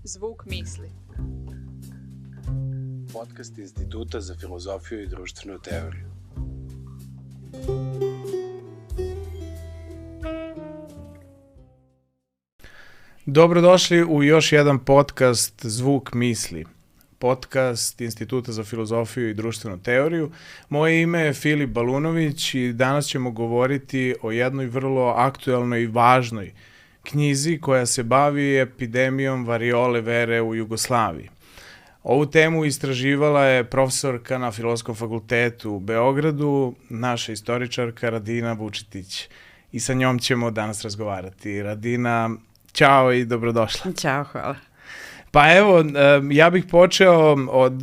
Zvuk misli. Podcast Instituta za filozofiju i društvenu teoriju. Dobrodošli u još jedan podcast Zvuk misli. Podcast Instituta za filozofiju i društvenu teoriju. Moje ime je Filip Balunović i danas ćemo govoriti o jednoj vrlo aktuelnoj i važnoj knjizi koja se bavi epidemijom variole vere u Jugoslaviji. Ovu temu istraživala je profesorka na Filozofskom fakultetu u Beogradu, naša istoričarka Radina Vučetić. I sa njom ćemo danas razgovarati. Radina, ćao i dobrodošla. Ćao, hvala. Pa evo, ja bih počeo od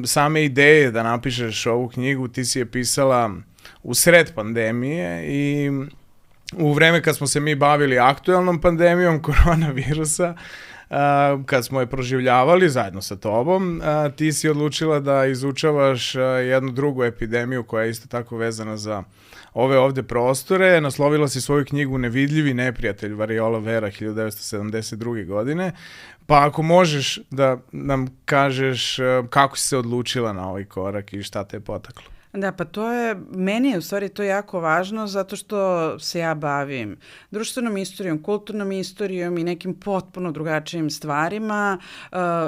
same ideje da napišeš ovu knjigu. Ti si je pisala u sred pandemije i u vreme kad smo se mi bavili aktuelnom pandemijom koronavirusa, kad smo je proživljavali zajedno sa tobom, ti si odlučila da izučavaš jednu drugu epidemiju koja je isto tako vezana za ove ovde prostore. Naslovila si svoju knjigu Nevidljivi neprijatelj variola vera 1972. godine. Pa ako možeš da nam kažeš kako si se odlučila na ovaj korak i šta te je potaklo? Da, pa meni je u stvari to jako važno zato što se ja bavim društvenom istorijom, kulturnom istorijom i nekim potpuno drugačijim stvarima,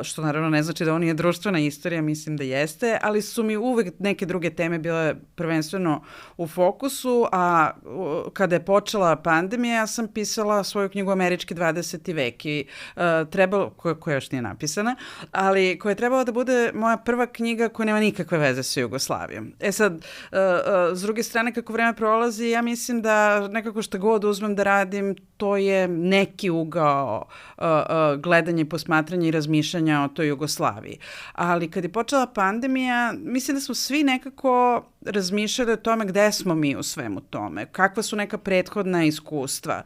što naravno ne znači da on je društvena istorija, mislim da jeste, ali su mi uvek neke druge teme bile prvenstveno u fokusu, a kada je počela pandemija, ja sam pisala svoju knjigu Američki 20. vek i koja još nije napisana, ali koja je trebala da bude moja prva knjiga koja nema nikakve veze sa Jugoslavijom. Sad, s druge strane, kako vreme prolazi, ja mislim da nekako što god uzmem da radim, to je neki ugao gledanja i posmatranja i razmišljanja o toj Jugoslaviji. Ali kad je počela pandemija, mislim da smo svi nekako razmišljali o tome gde smo mi u svemu tome, kakva su neka prethodna iskustva.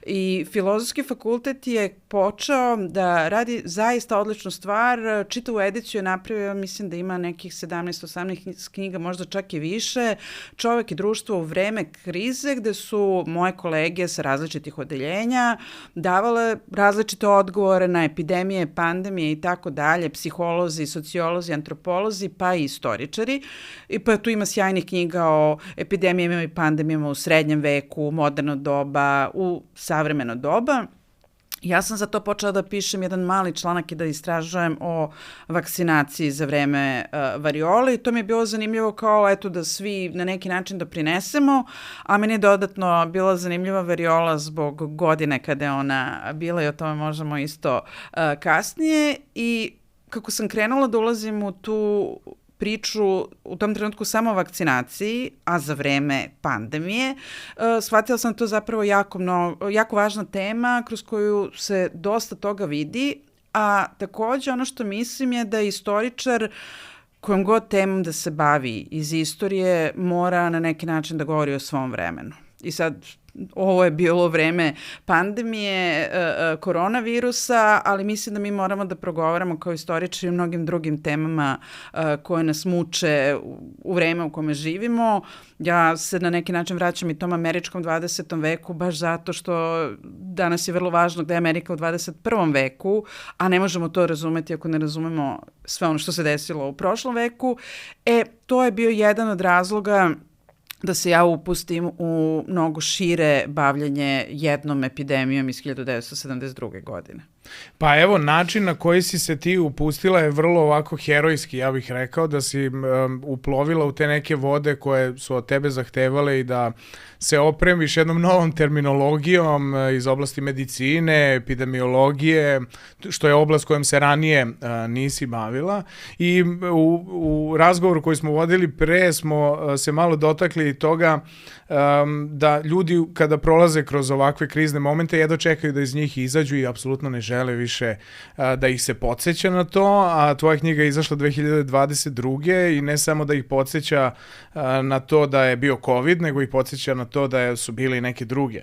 I Filozofski fakultet je počeo da radi zaista odličnu stvar. Čitavu ediciju je napravio, mislim da ima nekih 17-18 knjiga, možda čak i više, Čovek i društvo u vreme krize, gde su moje kolege sa različitih odeljenja davale različite odgovore na epidemije, pandemije i tako dalje, psiholozi, sociolozi, antropolozi, pa i istoričari. I pa tu ima sjajnih knjiga o epidemijama i pandemijama u srednjem veku, u moderno doba, u savremeno doba. Ja sam za to počela da pišem jedan mali članak i da istražujem o vakcinaciji za vreme variole i to mi je bilo zanimljivo kao eto da svi na neki način doprinesemo, a meni je dodatno bila zanimljiva variola zbog godine kada je ona bila i o tome možemo isto kasnije i kako sam krenula da ulazim u tu priču u tom trenutku samo o vakcinaciji, a za vreme pandemije, shvatila sam to zapravo jako važna tema kroz koju se dosta toga vidi, a takođe ono što mislim je da istoričar kojom god temom da se bavi iz istorije mora na neki način da govori o svom vremenu. I sad, ovo je bilo vreme pandemije, koronavirusa, ali mislim da mi moramo da progovaramo kao istoričari o mnogim drugim temama koje nas muče u vreme u kome živimo. Ja se na neki način vraćam i tom američkom 20. veku, baš zato što danas je vrlo važno da je Amerika u 21. veku, a ne možemo to razumeti ako ne razumemo sve ono što se desilo u prošlom veku. To je bio jedan od razloga da se ja upustim u mnogo šire bavljanje jednom epidemijom iz 1972. godine. Pa evo, način na koji si se ti upustila je vrlo ovako herojski, ja bih rekao, da si uplovila u te neke vode koje su od tebe zahtevale i da se opremiš jednom novom terminologijom iz oblasti medicine, epidemiologije, što je oblast kojom se ranije nisi bavila. I u razgovoru koji smo vodili pre smo se malo dotakli toga da ljudi kada prolaze kroz ovakve krizne momente jedva čekaju da iz njih izađu i apsolutno ne žele više da ih se podsjeća na to, a tvoja knjiga je izašla 2022. i ne samo da ih podsjeća na to da je bio COVID, nego ih podsjeća na to da su bile i neke druge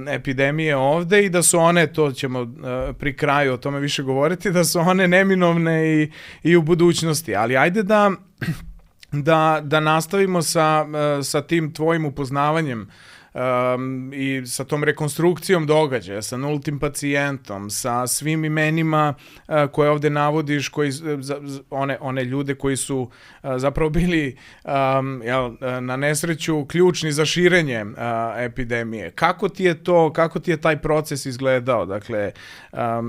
epidemije ovde i da su one, to ćemo pri kraju o tome više govoriti, da su one neminovne i u budućnosti. Ali ajde da nastavimo sa tim tvojim upoznavanjem i sa tom rekonstrukcijom događaja, sa nultim pacijentom, sa svim imenima koje ovde navodiš, one ljude koji su zapravo bili na nesreću ključni za širenje epidemije. Kako ti je taj proces izgledao? Dakle,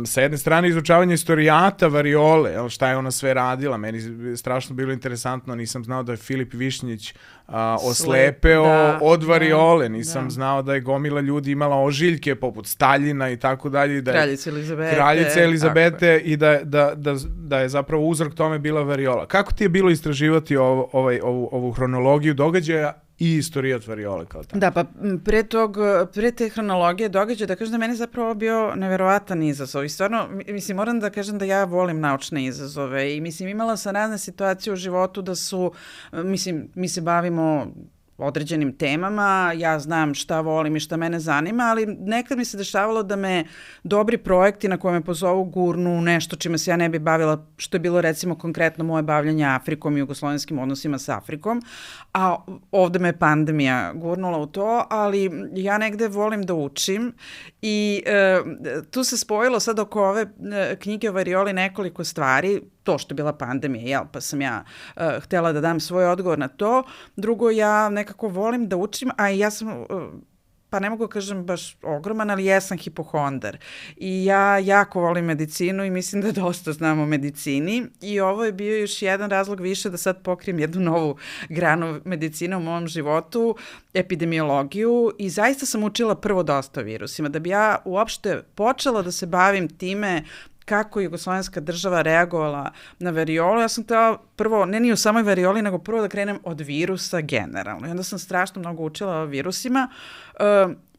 sa jedne strane izučavanje istorijata variole, šta je ona sve radila, meni je strašno bilo interesantno, nisam znao da je Filip Višnjić oslepeo od variole, nisam znao da je gomila ljudi imala ožiljke poput Staljina i tako dalje. Kraljice Elizabete i da je zapravo uzrok tome bila variola. Kako ti je bilo istraživati ovu hronologiju događaja i istorijat variole kao tako? Da, pa pre te hronologije događaja, da kažem da meni zapravo bio neverovatan izazov i stvarno, mislim, moram da kažem da ja volim naučne izazove i mislim, imala sam razne situacije u životu da su, mislim, mi se bavimo određenim temama, ja znam šta volim i šta mene zanima, ali nekad mi se dešavalo da me dobri projekti na koje me pozovu gurnu nešto čime se ja ne bi bavila, što je bilo recimo konkretno moje bavljanje Afrikom i jugoslovenskim odnosima sa Afrikom, a ovde me pandemija gurnula u to, ali ja negde volim da učim i tu se spojilo sad oko ove knjige o varioli nekoliko stvari, to što je bila pandemija, pa sam ja htela da dam svoj odgovor na to. Drugo, ja nekako volim da učim, a ja sam, pa ne mogu kažem baš ogroman, ali jesam hipohondar. I ja jako volim medicinu i mislim da dosta znam o medicini i ovo je bio još jedan razlog više da sad pokrijem jednu novu granu medicine u mom životu, epidemiologiju i zaista sam učila prvo dosta o virusima. Da bi ja uopšte počela da se bavim time kako je jugoslovenska država reagovala na variolu. Ja sam htela prvo, ne ni o samoj varioli, nego prvo da krenem od virusa generalno. I onda sam strašno mnogo učila o virusima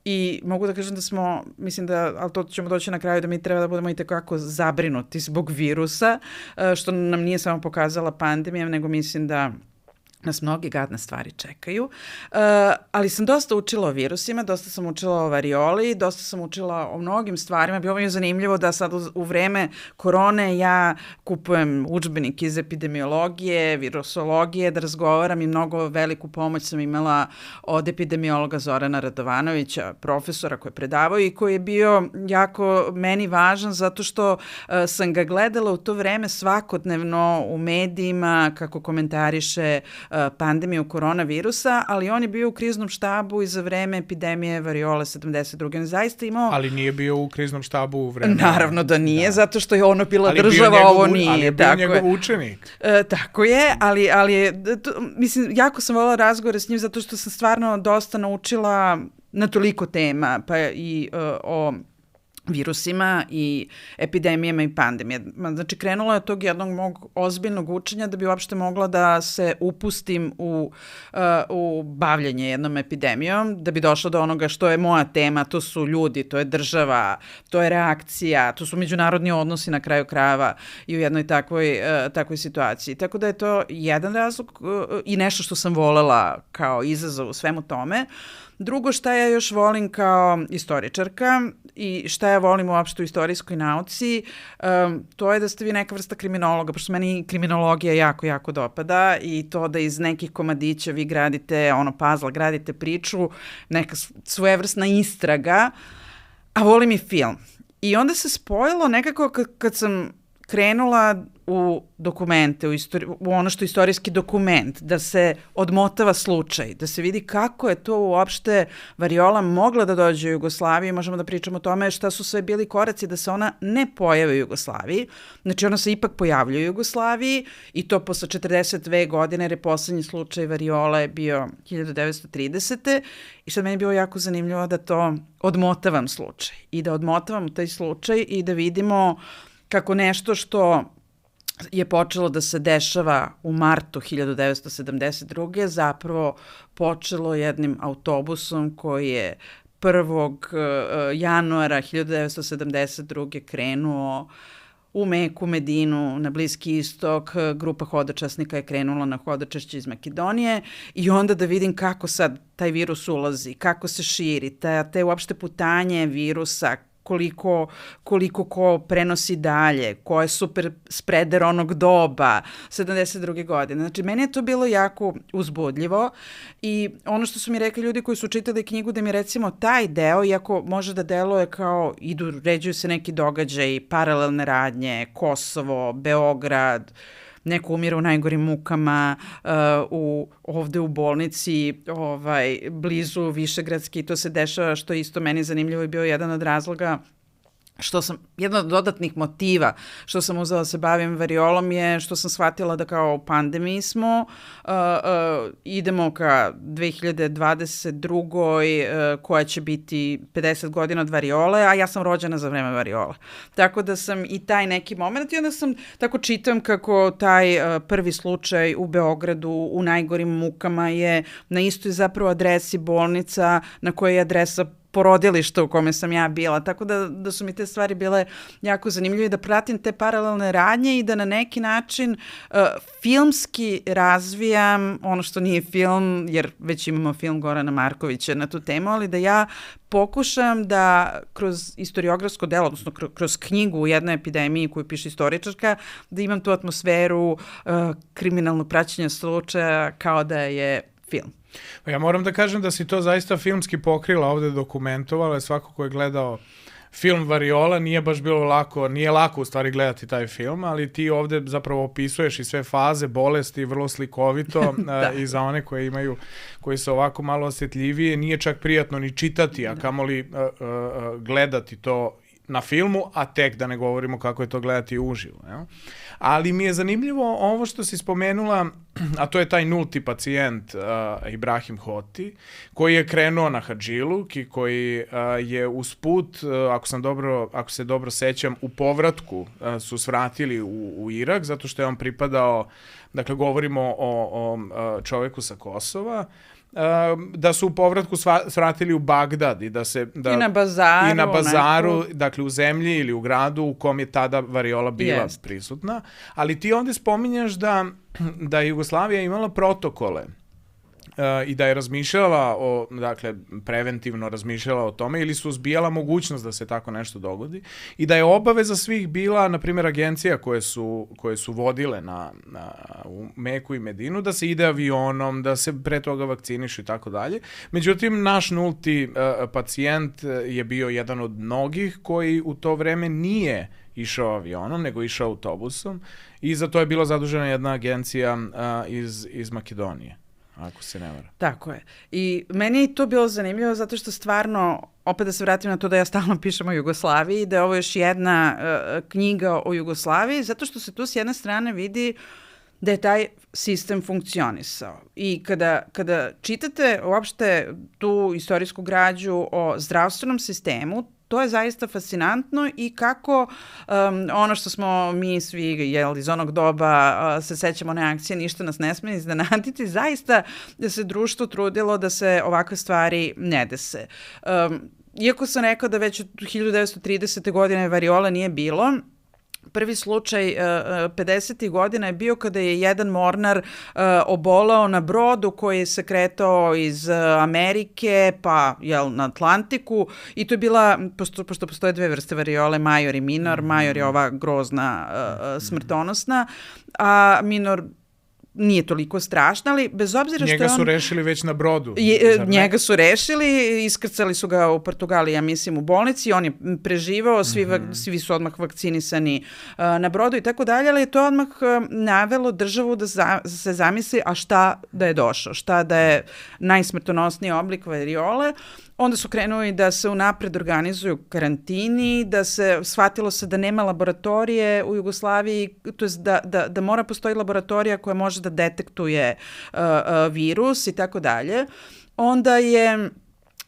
i mogu da kažem da smo, mislim da, ali to ćemo doći na kraju, da mi treba da budemo i tekako zabrinuti zbog virusa, što nam nije samo pokazala pandemija, nego mislim da nas mnoge gadne stvari čekaju, ali sam dosta učila o virusima, dosta sam učila o varioli, dosta sam učila o mnogim stvarima. Bilo mi je zanimljivo da sad u vreme korone ja kupujem udžbenik iz epidemiologije, virusologije, da razgovaram i mnogo veliku pomoć sam imala od epidemiologa Zorana Radovanovića, profesora koji je predavao i koji je bio jako meni važan zato što sam ga gledala u to vreme svakodnevno u medijima kako komentariše pandemiju koronavirusa, ali on je bio u kriznom štabu i za vreme epidemije variole 72. On zaista imao... Ali nije bio u kriznom štabu u vreme... Naravno da nije, zato što je ono bila država, ovo nije. Ali je bio njegov učenik. Tako je, ali je... Mislim, jako sam voljela razgovore s njim zato što sam stvarno dosta naučila na toliko tema, pa i o virusima i epidemijama i pandemijama. Znači, krenula je od tog jednog mog ozbiljnog učenja da bi uopšte mogla da se upustim u bavljanje jednom epidemijom, da bi došla do onoga što je moja tema, to su ljudi, to je država, to je reakcija, to su međunarodni odnosi na kraju krajeva i u jednoj takvoj situaciji. Tako da je to jedan razlog i nešto što sam volela kao izazov u svemu tome. Drugo, šta ja još volim kao istoričarka i šta ja volim uopšte u istorijskoj nauci, to je da ste vi neka vrsta kriminologa, pošto meni kriminologija jako, jako dopada i to da iz nekih komadića vi gradite, puzzle, gradite priču, neka svojevrsna istraga, a volim i film. I onda se spojilo nekako kad sam krenula u dokumente, u ono što je istorijski dokument, da se odmotava slučaj, da se vidi kako je to uopšte variola mogla da dođe u Jugoslaviju. Možemo da pričamo o tome šta su sve bili koraci da se ona ne pojavi u Jugoslaviji. Znači ona se ipak pojavljuje u Jugoslaviji i to posle 42 godine, jer je poslednji slučaj variole bio 1930. I sad meni je bilo jako zanimljivo da to odmotavam slučaj i da odmotavam taj slučaj i da vidimo kako nešto što je počelo da se dešava u martu 1972. zapravo počelo jednim autobusom koji je 1. januara 1972. krenuo u Meku, Medinu, na Bliski istok, grupa hodočasnika je krenula na hodočašće iz Makedonije i onda da vidim kako sad taj virus ulazi, kako se širi, te uopšte putanje virusa, koliko ko prenosi dalje, ko je super spreder onog doba, 72. godine. Znači, meni je to bilo jako uzbudljivo i ono što su mi rekli ljudi koji su čitali knjigu, da mi recimo taj deo, iako može da deluje kao ređuju se neki događaji, paralelne radnje, Kosovo, Beograd, neko umire u najgorim mukama, ovde u bolnici, blizu Višegradski, to se dešava, što isto meni zanimljivo i bio jedan od razloga jedan od dodatnih motiva što sam uzela da se bavim variolom je što sam shvatila da kao u pandemiji smo, idemo ka 2022. Koja će biti 50 godina od variole, a ja sam rođena za vreme variola. Tako da sam i taj neki moment i onda sam tako čitam kako taj prvi slučaj u Beogradu u najgorim mukama je na istoj zapravo adresi bolnica na kojoj je adresa porodilišta u kome sam ja bila, tako da su mi te stvari bile jako zanimljive, da pratim te paralelne radnje i da na neki način filmski razvijam ono što nije film, jer već imamo film Gorana Markovića na tu temu, ali da ja pokušam da kroz istoriografsko delo, odnosno kroz knjigu u jednoj epidemiji koju piše istoričarka, da imam tu atmosferu kriminalnog praćenja slučaja kao da je film. Ja moram da kažem da si to zaista filmski pokrila, ovde dokumentovala, svako ko je gledao film Variola nije baš bilo lako, nije lako u stvari gledati taj film, ali ti ovde zapravo opisuješ i sve faze bolesti vrlo slikovito i za one koji su ovako malo osjetljivije, nije čak prijatno ni čitati, a kamoli gledati to na filmu, a tek da ne govorimo kako je to gledati uživo. Ja? Ali mi je zanimljivo ovo što si spomenula, a to je taj nulti pacijent Ibrahim Hoti, koji je krenuo na Hadžiluk i koji je usput, ako se dobro sećam, u povratku su svratili u Irak, zato što je on pripadao, dakle govorimo o čoveku sa Kosova, da su u povratku svratili u Bagdad i da se i na bazaru dakle u zemlji ili u gradu u kom je tada variola bila prisutna, ali ti ovde spominjaš da je Jugoslavija imala protokole i da je razmišljala dakle, preventivno razmišljala o tome ili su uzbijala mogućnost da se tako nešto dogodi i da je obaveza svih bila, na primjer, agencija koje su vodile u Meku i Medinu, da se ide avionom, da se pre toga vakcinišu i tako dalje. Međutim, naš nulti pacijent je bio jedan od mnogih koji u to vreme nije išao avionom, nego išao autobusom i za to je bila zadužena jedna agencija iz Makedonije, ako se ne vara. Tako je. I meni je to bilo zanimljivo zato što stvarno, opet da se vratim na to da ja stalno pišem o Jugoslaviji, da je ovo još jedna knjiga o Jugoslaviji, zato što se tu s jedne strane vidi da je taj sistem funkcionisao. I kada čitate uopšte tu istorijsku građu o zdravstvenom sistemu, to je zaista fascinantno i kako ono što smo mi svi iz onog doba se sećamo one akcije, ništa nas ne sme iznenaditi, zaista da se društvo trudilo da se ovakve stvari ne dese. Iako sam rekao da već od 1930. godine variola nije bilo, prvi slučaj 50. godina je bio kada je jedan mornar obolao na brodu koji se kretao iz Amerike pa na Atlantiku i to je bila, pošto postoje dve vrste variole, major i minor, major je ova grozna smrtonosna, a minor nije toliko strašna, ali bez obzira što njega su rešili već na brodu. Njega su rešili, iskrcali su ga u Portugaliji, ja mislim, u bolnici, on je preživao, svi su odmah vakcinisani na brodu i tako dalje, ali je to odmah navelo državu da se zamisli, a šta da je došao, šta da je najsmrtonosniji oblik variole. Onda su krenuli da se unapred organizuju karantini, shvatilo se da nema laboratorije u Jugoslaviji, to je da mora postoji laboratorija koja može da detektuje virus i tako dalje. Onda je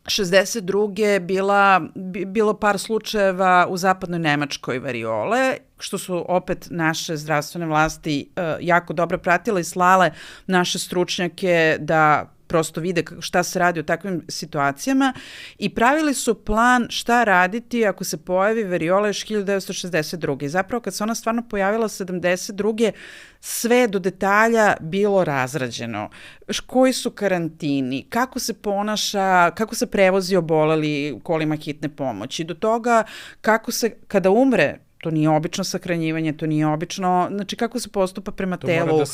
62. bilo par slučajeva u zapadnoj Nemačkoj variole, što su opet naše zdravstvene vlasti jako dobro pratile i slale naše stručnjake da prosto vide šta se radi u takvim situacijama i pravili su plan šta raditi ako se pojavi variola još 1962. I zapravo kad se ona stvarno pojavila 72. sve do detalja bilo razrađeno. Koji su karantini, kako se ponaša, kako se prevozi oboleli kolima hitne pomoći, do toga kako se, kada umre, to nije obično sahranjivanje, to nije obično, znači kako se postupa prema telu. To mora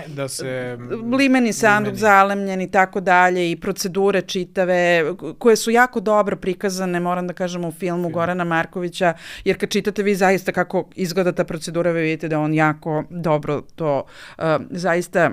da se limeni sanduk, zalemljen i tako dalje i procedure čitave, koje su jako dobro prikazane, moram da kažem, u filmu Gorana Markovića, jer kad čitate vi zaista kako izgleda ta procedura, vi vidite da on jako dobro to zaista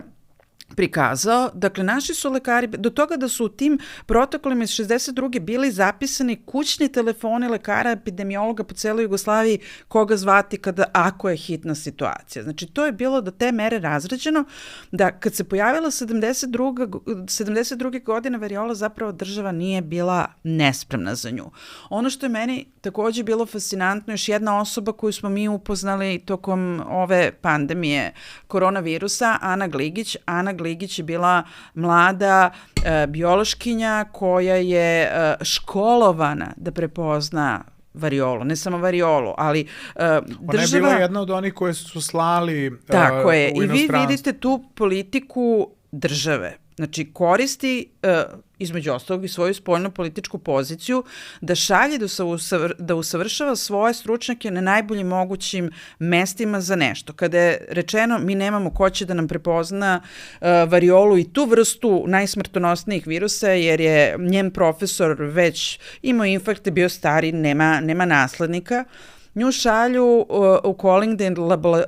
prikazao. Dakle, naši su lekari, do toga da su u tim protokolima iz 62. bili zapisani kućni telefoni lekara, epidemiologa po celoj Jugoslaviji, koga zvati ako je hitna situacija. Znači, to je bilo do te mere razređeno da kad se pojavila 72. godine variola, zapravo država nije bila nespremna za nju. Ono što je meni takođe bilo fascinantno, još jedna osoba koju smo mi upoznali tokom ove pandemije koronavirusa, Ana Gligić. Ana Gligić je bila mlada biološkinja koja je školovana da prepozna variolu, ne samo variolu, ali država... Ona je bila jedna od onih koje su slali tako je. u inostranstvo. I vi vidite tu politiku države. Znači, koristi između ostalog i svoju spoljnu političku poziciju da šalje da usavršava svoje stručnjake na najboljim mogućim mestima za nešto. Kada je rečeno mi nemamo ko će da nam prepozna variolu i tu vrstu najsmrtonosnijih virusa, jer je njen profesor već imao infarkte, bio stari, nema naslednika, nju šalju u Collingden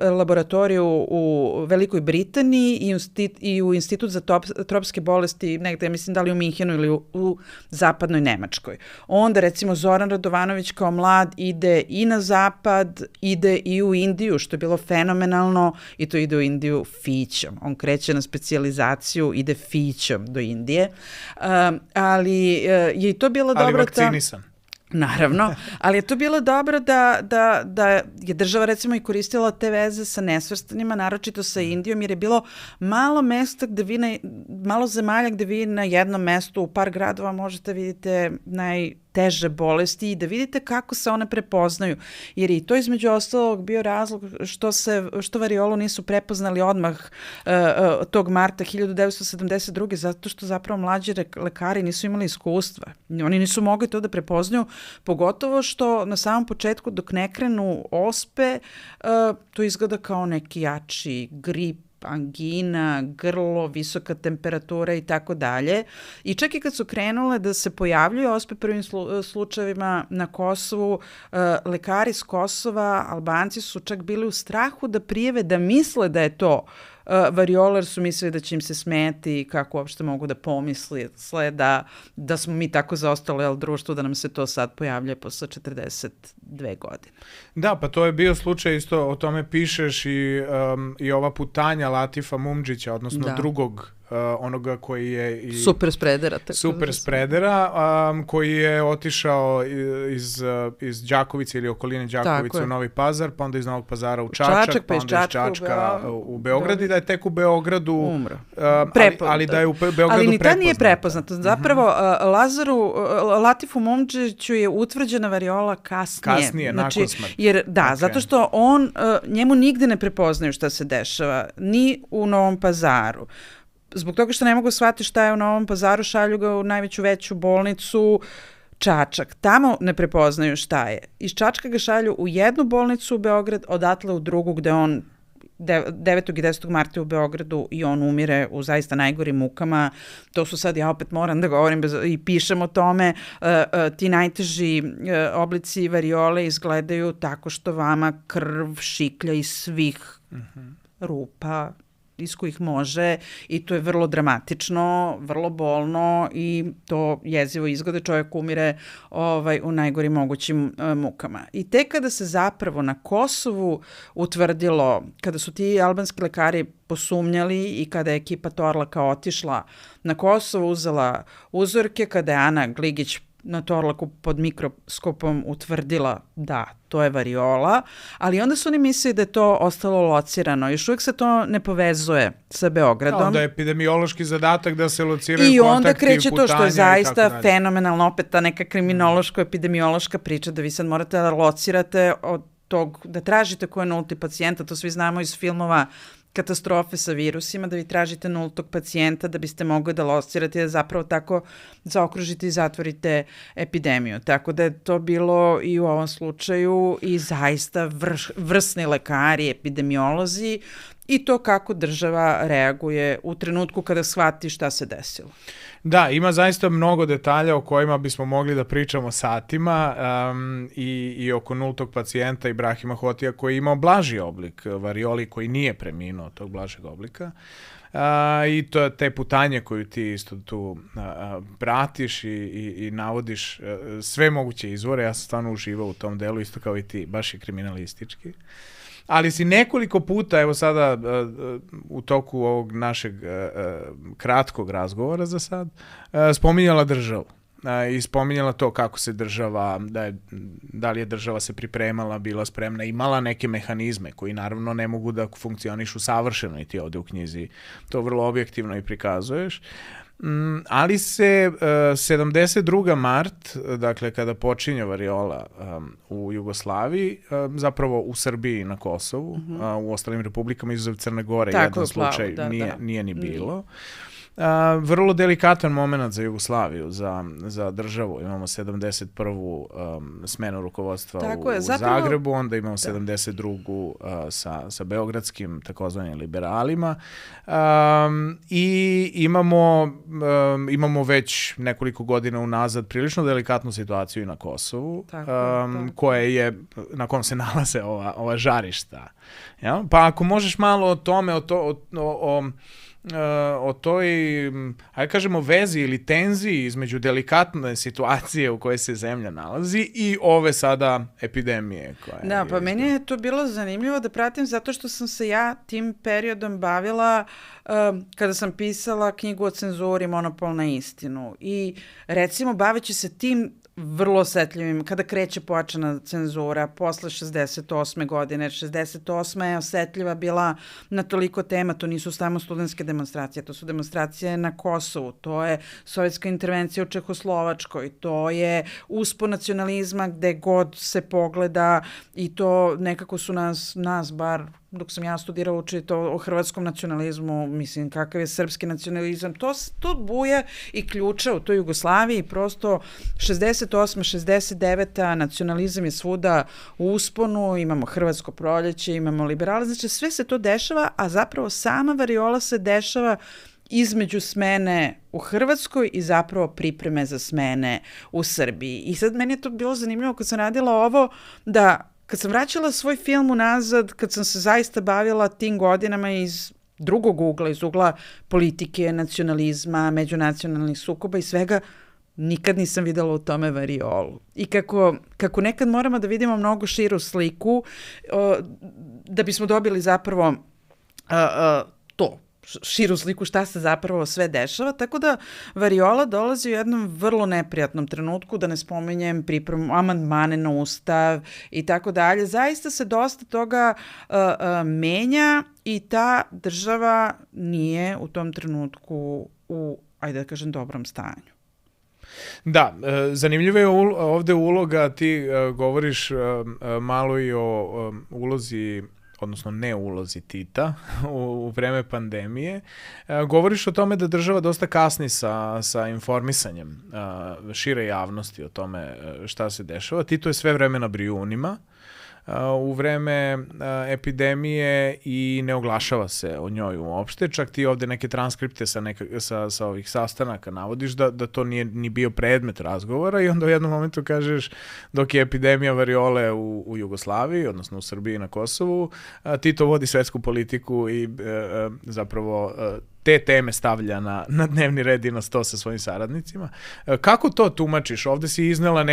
laboratoriju u Velikoj Britaniji i u Institut za tropske bolesti, negde, mislim da li u Minhenu ili u zapadnoj Nemačkoj. Onda, recimo, Zoran Radovanović kao mlad ide i na zapad, ide i u Indiju, što je bilo fenomenalno, i to ide u Indiju fićom. On kreće na specijalizaciju, ide fićom do Indije. Ali je i to bilo dobro... Ali vakcinisan. Naravno, ali je to bilo dobro da je država recimo i koristila te veze sa nesvrstanima, naročito sa Indijom, jer je bilo malo mesta malo zemalja gde vi na jednom mestu u par gradova možete vidite najteže bolesti i da vidite kako se one prepoznaju. Jer i to između ostalog bio razlog što variolu nisu prepoznali odmah tog marta 1972. zato što zapravo mlađi lekari nisu imali iskustva. Oni nisu mogli to da prepoznaju, pogotovo što na samom početku dok ne krenu ospe, to izgleda kao neki jači grip, angina, grlo, visoka temperatura i tako dalje. I čak i kad su krenule da se pojavljuju ospe prvim slučajevima na Kosovu, lekari s Kosova, Albanci su čak bili u strahu da prijave, da misle da je to variola, jer su mislili da će im se smeti i kako uopšte mogu da pomisle da smo mi tako zaostali društvu, da nam se to sad pojavlja posle 42 godine. Da, pa to je bio slučaj isto, o tome pišeš i ova putanja Latifa Mumdžića, odnosno drugog onoga koji je super spredera, koji je otišao iz Đakovice ili okoline Đakovice u Novi Pazar, pa onda iz Novog Pazara u Čačak, pa onda iz Čačka u Beograd i da je tek u Beogradu umro. Ali da je u Beogradu prepoznat. Ali ni ta nije prepoznato. Zapravo, Latifu Mumdžiću je utvrđena variola kasnije. Nakon smrti. Jer, zato što njemu nigde ne prepoznaju šta se dešava, ni u Novom Pazaru. Zbog toga što ne mogu shvatiti šta je u Novom Pazaru, šalju ga u najveću veću bolnicu Čačak. Tamo ne prepoznaju šta je. Iz Čačka ga šalju u jednu bolnicu u Beograd, odatle u drugu gde on 9. i 10. marta u Beogradu i on umire u zaista najgorim mukama. To su sad, ja opet moram da govorim i pišem o tome, ti najteži oblici variole izgledaju tako što vama krv šiklja iz svih rupa iz kojih može i to je vrlo dramatično, vrlo bolno i to jezivo izgleda, čovjek umire u najgorim mogućim mukama. I tek kada se zapravo na Kosovu utvrdilo, kada su ti albanski lekari posumnjali i kada je ekipa Torlaka otišla na Kosovo, uzela uzorke, kada je Ana Gligić na Torlaku pod mikroskopom utvrdila da, to je variola, ali onda su oni mislili da je to ostalo locirano. Još uvijek se to ne povezuje sa Beogradom. Onda je epidemiološki zadatak da se lociraju i kontakti, onda kreće to što je zaista fenomenalno, opet ta neka kriminološko-epidemiološka priča da vi sad morate da locirate od tog, da tražite ko je nulti pacijenta, to svi znamo iz filmova katastrofe sa virusima, da vi tražite nultog pacijenta da biste mogli da locirate i da zapravo tako zaokružite i zatvorite epidemiju. Tako da je to bilo i u ovom slučaju i zaista vrsni lekari, epidemiolozi i to kako država reaguje u trenutku kada shvati šta se desilo. Da, ima zaista mnogo detalja o kojima bismo mogli da pričamo satima i oko nultog pacijenta Ibrahima Hotija koji je imao blaži oblik varioli koji nije preminuo od tog blažeg oblika. I to te putanje koju ti isto tu pratiš i navodiš sve moguće izvore. Ja sam stvarno uživao u tom delu, isto kao i ti, baš je kriminalistički. Ali si nekoliko puta, evo sada u toku ovog našeg kratkog razgovora za sad, spominjala državu i spominjala to kako se država, da li je država se pripremala, bila spremna, imala neke mehanizme koji naravno ne mogu da funkcionišu savršeno i ti ovde u knjizi to vrlo objektivno i prikazuješ. Ali se 72. mart, dakle kada počinje variola u Jugoslaviji, zapravo u Srbiji na Kosovu, u ostalim republikama izuzev Crne Gore, jedan slučaj nije ni bilo. Vrlo delikatan moment za Jugoslaviju, za državu. Imamo 71. smenu rukovodstva u Zagrebu, onda imamo 72. sa beogradskim takozvanim liberalima i imamo već nekoliko godina unazad prilično delikatnu situaciju i na Kosovu, na kom se nalaze ova žarišta. Ja? Pa ako možeš malo o tome, o toj, ajde kažemo, vezi ili tenziji između delikatne situacije u kojoj se zemlja nalazi i ove sada epidemije. Da, pa meni je to bilo zanimljivo da pratim zato što sam se ja tim periodom bavila kada sam pisala knjigu o cenzuri Monopol na istinu i recimo baveći se tim vrlo osetljivim, kada kreće pojačana cenzura posle 68. godine. 68. je osetljiva bila na toliko tema, to nisu samo studentske demonstracije, to su demonstracije na Kosovu, to je sovjetska intervencija u Čehoslovačkoj, to je uspon nacionalizma gde god se pogleda i to nekako su nas bar dok sam ja studirala učiti o hrvatskom nacionalizmu, mislim kakav je srpski nacionalizam, to buje i ključa u toj Jugoslaviji, prosto 68. 69. nacionalizam je svuda u usponu, imamo hrvatsko proljeće, imamo liberale, znači sve se to dešava, a zapravo sama variola se dešava između smene u Hrvatskoj i zapravo pripreme za smene u Srbiji. I sad meni je to bilo zanimljivo kad sam radila ovo, da kad sam vraćala svoj film unazad, kad sam se zaista bavila tim godinama iz drugog ugla, iz ugla politike, nacionalizma, međunacionalnih sukoba i svega, nikad nisam videla u tome variolu. I kako nekad moramo da vidimo mnogo širu sliku, da bismo dobili zapravo to, širu sliku šta se zapravo sve dešava, tako da variola dolazi u jednom vrlo neprijatnom trenutku, da ne spominjem pripremu, amandmane na ustav i tako dalje. Zaista se dosta toga menja i ta država nije u tom trenutku u, ajde da kažem, dobrom stanju. Da, zanimljiva je ovde uloga, ti govoriš malo i o ulozi, odnosno ne ulozi Tita u vreme pandemije. Govoriš o tome da država dosta kasni sa informisanjem šire javnosti o tome šta se dešava. Tito je sve vreme na Brijunima u vreme epidemije i ne oglašava se o njoj uopšte. Čak ti ovde neke transkripte sa ovih sastanaka navodiš da to nije ni bio predmet razgovora i onda u jednom momentu kažeš dok je epidemija variole u Jugoslaviji, odnosno u Srbiji i na Kosovu, Tito vodi svetsku politiku i zapravo te teme stavlja na dnevni red i na sto sa svojim saradnicima. Kako to tumačiš? Ovde si iznela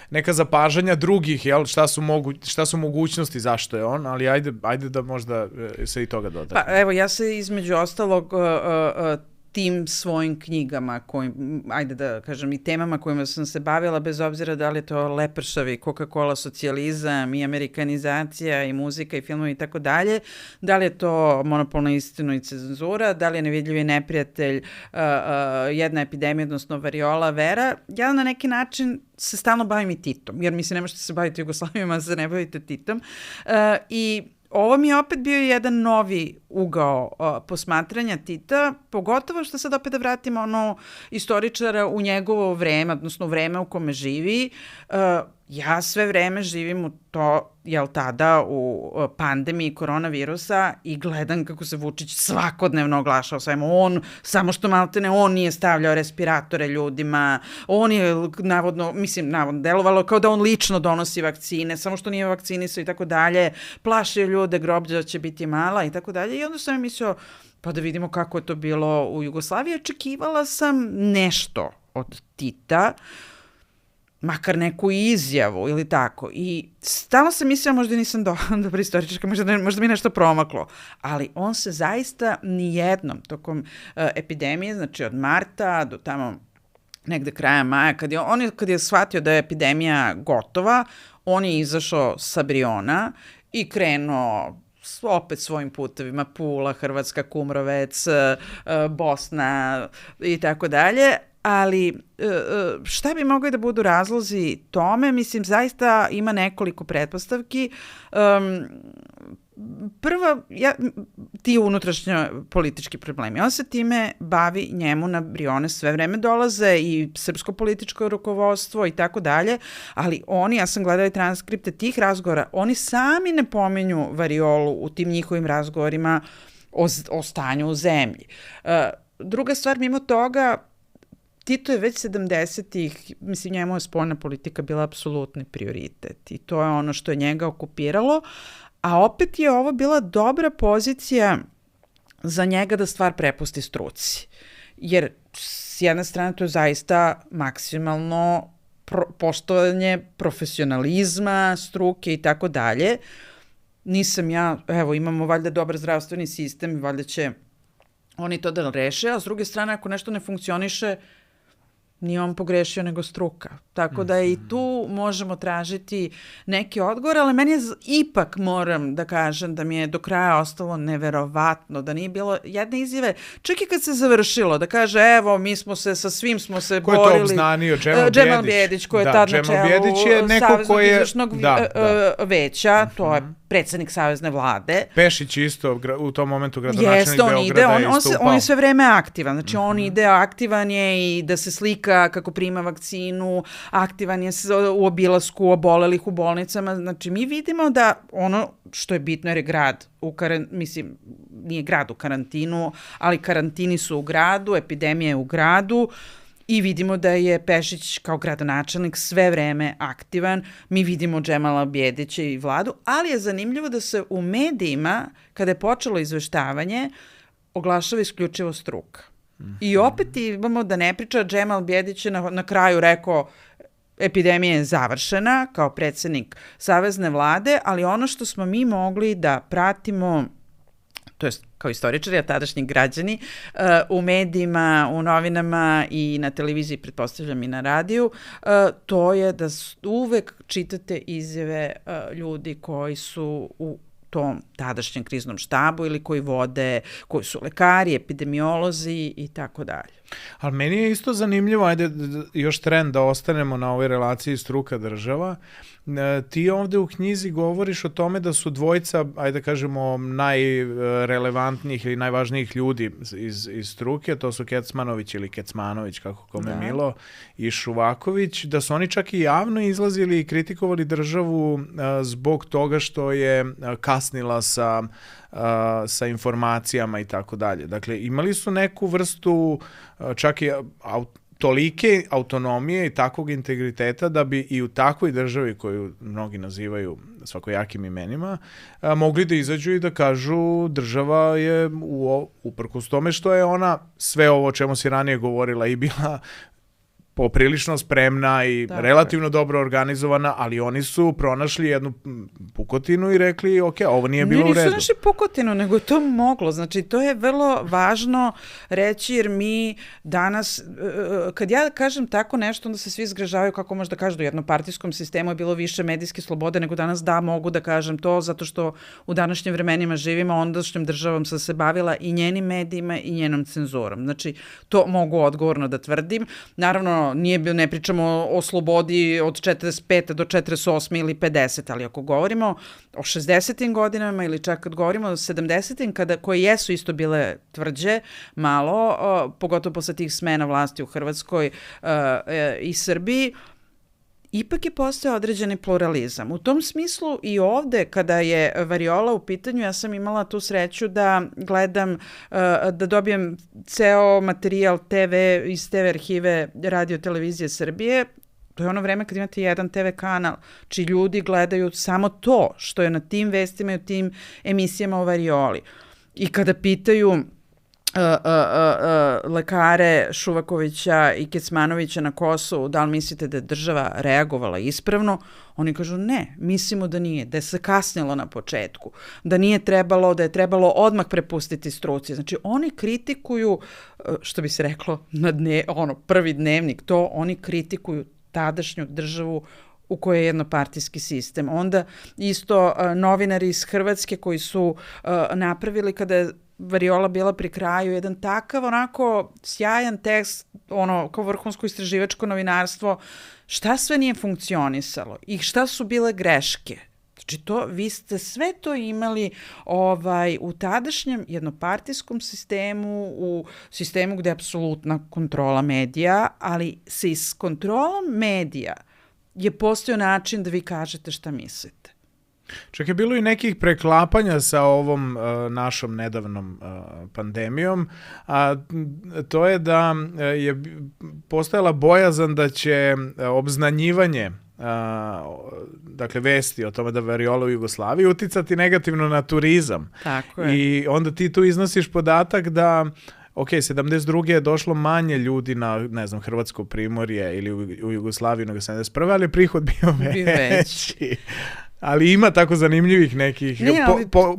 neka zapažanja drugih, jel? Šta su mogućnosti, zašto je on, ali ajde da možda se i toga doda. Pa evo, ja se između ostalog tim svojim knjigama, ajde da kažem, i temama kojima sam se bavila, bez obzira da li je to Lepršavi, Coca-Cola socijalizam i amerikanizacija i muzika i filmovi i tako dalje, da li je to Monopol na istinu i cenzura, da li je Nevidljivi neprijatelj, jedna epidemija, odnosno variola, vera. Ja na neki način se stalno bavim i Titom, jer mi se ne možete se baviti Jugoslavijom, a se ne bavite Titom. I ovo mi je opet bio jedan novi ugao posmatranja Tita, pogotovo što sad opet da vratimo istoričara u njegovo vreme, odnosno u vreme u kome živi. Ja sve vreme živim u to, tada u pandemiji koronavirusa i gledam kako se Vučić svakodnevno oglašao svemu. Samo što maltene, on nije stavljao respiratore ljudima, on je navodno delovalo kao da on lično donosi vakcine, samo što nije vakcinisao i tako dalje, plašio ljude, groblja će biti mala i tako dalje. I onda sam mislio, pa da vidimo kako je to bilo u Jugoslaviji. Očekivala sam nešto od Tita, makar neku izjavu ili tako. I stalno sam mislila, možda nisam dobra istoričarka, možda mi nešto promaklo, ali on se zaista nijednom tokom epidemije, znači od marta do tamo negde kraja maja, kad je shvatio da je epidemija gotova, on je izašao sa Briona i krenuo opet svojim putevima, Pula, Hrvatska, Kumrovec, Bosna i tako dalje. Ali šta bi mogli da budu razlozi tome? Mislim, zaista ima nekoliko pretpostavki. Prva, ti unutrašnjo politički problemi. On se time bavi, njemu na Brione sve vreme dolaze i srpsko političko rukovodstvo i tako dalje, ali ja sam gledala i transkripte tih razgovora, oni sami ne pominju variolu u tim njihovim razgovorima o stanju u zemlji. Druga stvar, mimo toga, Tito je već 70-ih, mislim, njemu je spoljna politika bila apsolutni prioritet i to je ono što je njega okupiralo, a opet je ovo bila dobra pozicija za njega da stvar prepusti struci. Jer s jedne strane to je zaista maksimalno poštovanje profesionalizma, struke i tako dalje. Nisam ja, imamo valjda dobar zdravstveni sistem i valjda će oni to da reše, a s druge strane ako nešto ne funkcioniše, nije on pogrešio nego struka. Tako da i tu možemo tražiti neki odgovor, ali meni je ipak, moram da kažem, da mi je do kraja ostalo neverovatno, da nije bilo jedne izjave, čak i kad se završilo, da kaže, mi smo se, sa svim smo se borili. Ko je to obznanio? Džemal Bijedić, ko je tad na čelu Saveznog izvršnog veća, to je predsednik Savezne vlade. Pešić isto, u tom momentu gradonačelnik Beograda je isto upao. On je sve vreme aktivan, znači on ide, aktivan je i da se slika kako prima vakcinu, aktivan je u obilasku obolelih u bolnicama, znači mi vidimo da ono što je bitno jer je grad, nije grad u karantinu, ali karantini su u gradu, epidemija je u gradu, i vidimo da je Pešić kao gradonačelnik sve vreme aktivan. Mi vidimo Džemala Bijedića i vladu, ali je zanimljivo da se u medijima, kada je počelo izveštavanje, oglašava isključivo struka. I opet imamo da ne priča, Džemal Bijedić je na kraju rekao epidemija je završena kao predsednik Savezne vlade, ali ono što smo mi mogli da pratimo, to je kao istoričari, a tadašnji građani, u medijima, u novinama i na televiziji, pretpostavljam i na radiju, to je da uvek čitate izjave ljudi koji su u tom tadašnjem kriznom štabu ili koji su lekari, epidemiolozi i tako dalje. Ali meni je isto zanimljivo, ajde još trend da ostanemo na ovoj relaciji struka država. Ti ovde u knjizi govoriš o tome da su dvojica, ajde kažemo, najrelevantnijih ili najvažnijih ljudi iz struke, to su Kecmanović ili Kecmanović, kako kome milo, i Šuvaković, da su oni čak i javno izlazili i kritikovali državu zbog toga što je kasnila sa informacijama i tako dalje. Dakle, imali su neku vrstu čak i tolike autonomije i takvog integriteta da bi i u takvoj državi koju mnogi nazivaju svakojakim imenima mogli da izađu i da kažu država je uprkos tome što je ona sve ovo o čemu si ranije govorila i bila poprilično spremna i relativno dobro organizovana, ali oni su pronašli jednu pukotinu i rekli, ok, ovo nije bilo u redu. Nisu našli pukotinu, nego je to moglo. Znači, to je vrlo važno reći, jer mi danas, kad ja kažem tako nešto, onda se svi zgražavaju kako možda kažu da u jednopartijskom sistemu je bilo više medijske slobode nego danas. Da, mogu da kažem to, zato što u današnjim vremenima živimo, ondašnjom državom sam se bavila i njenim medijima i njenom cenzurom. Znači, to mogu odgovorno da tvrdim. Naravno, ne pričamo o slobodi od 45. do 48. ili 50. ali ako govorimo o 60. godinama ili čak kad govorimo o 70. koje jesu isto bile tvrđe, malo, pogotovo posle tih smena vlasti u Hrvatskoj i Srbiji, ipak je postao određeni pluralizam. U tom smislu i ovde, kada je variola u pitanju, ja sam imala tu sreću da gledam, da dobijem ceo materijal iz TV arhive Radio Televizije Srbije. To je ono vreme kad imate jedan TV kanal, čiji ljudi gledaju samo to što je na tim vestima i u tim emisijama o varioli. I kada pitaju lekare Šuvakovića i Kecmanovića na Kosovu, da li mislite da je država reagovala ispravno, oni kažu ne, mislimo da nije, da je se kasnilo na početku, da nije trebalo, da je trebalo odmah prepustiti struci. Znači oni kritikuju, što bi se reklo na prvi dnevnik, to oni kritikuju tadašnju državu u kojoj je jednopartijski sistem. Onda isto novinari iz Hrvatske koji su napravili, kada je variola bila pri kraju, jedan takav onako sjajan tekst, kao vrhunsko istraživačko novinarstvo, šta sve nije funkcionisalo i šta su bile greške. Znači vi ste sve to imali u tadašnjem jednopartijskom sistemu, u sistemu gde je apsolutna kontrola medija, ali se iz kontrolom medija je postojao način da vi kažete šta mislite. Čak je bilo i nekih preklapanja sa ovom našom nedavnom pandemijom, a to je da je postojala bojazan da će obznanjivanje dakle vesti o tome da variola u Jugoslaviji uticati negativno na turizam. Tako je. I onda ti tu iznosiš podatak da 72. je došlo manje ljudi na, ne znam, Hrvatsko primorje ili u Jugoslaviju nego 71. ali prihod bio veći. Ali ima tako zanimljivih nekih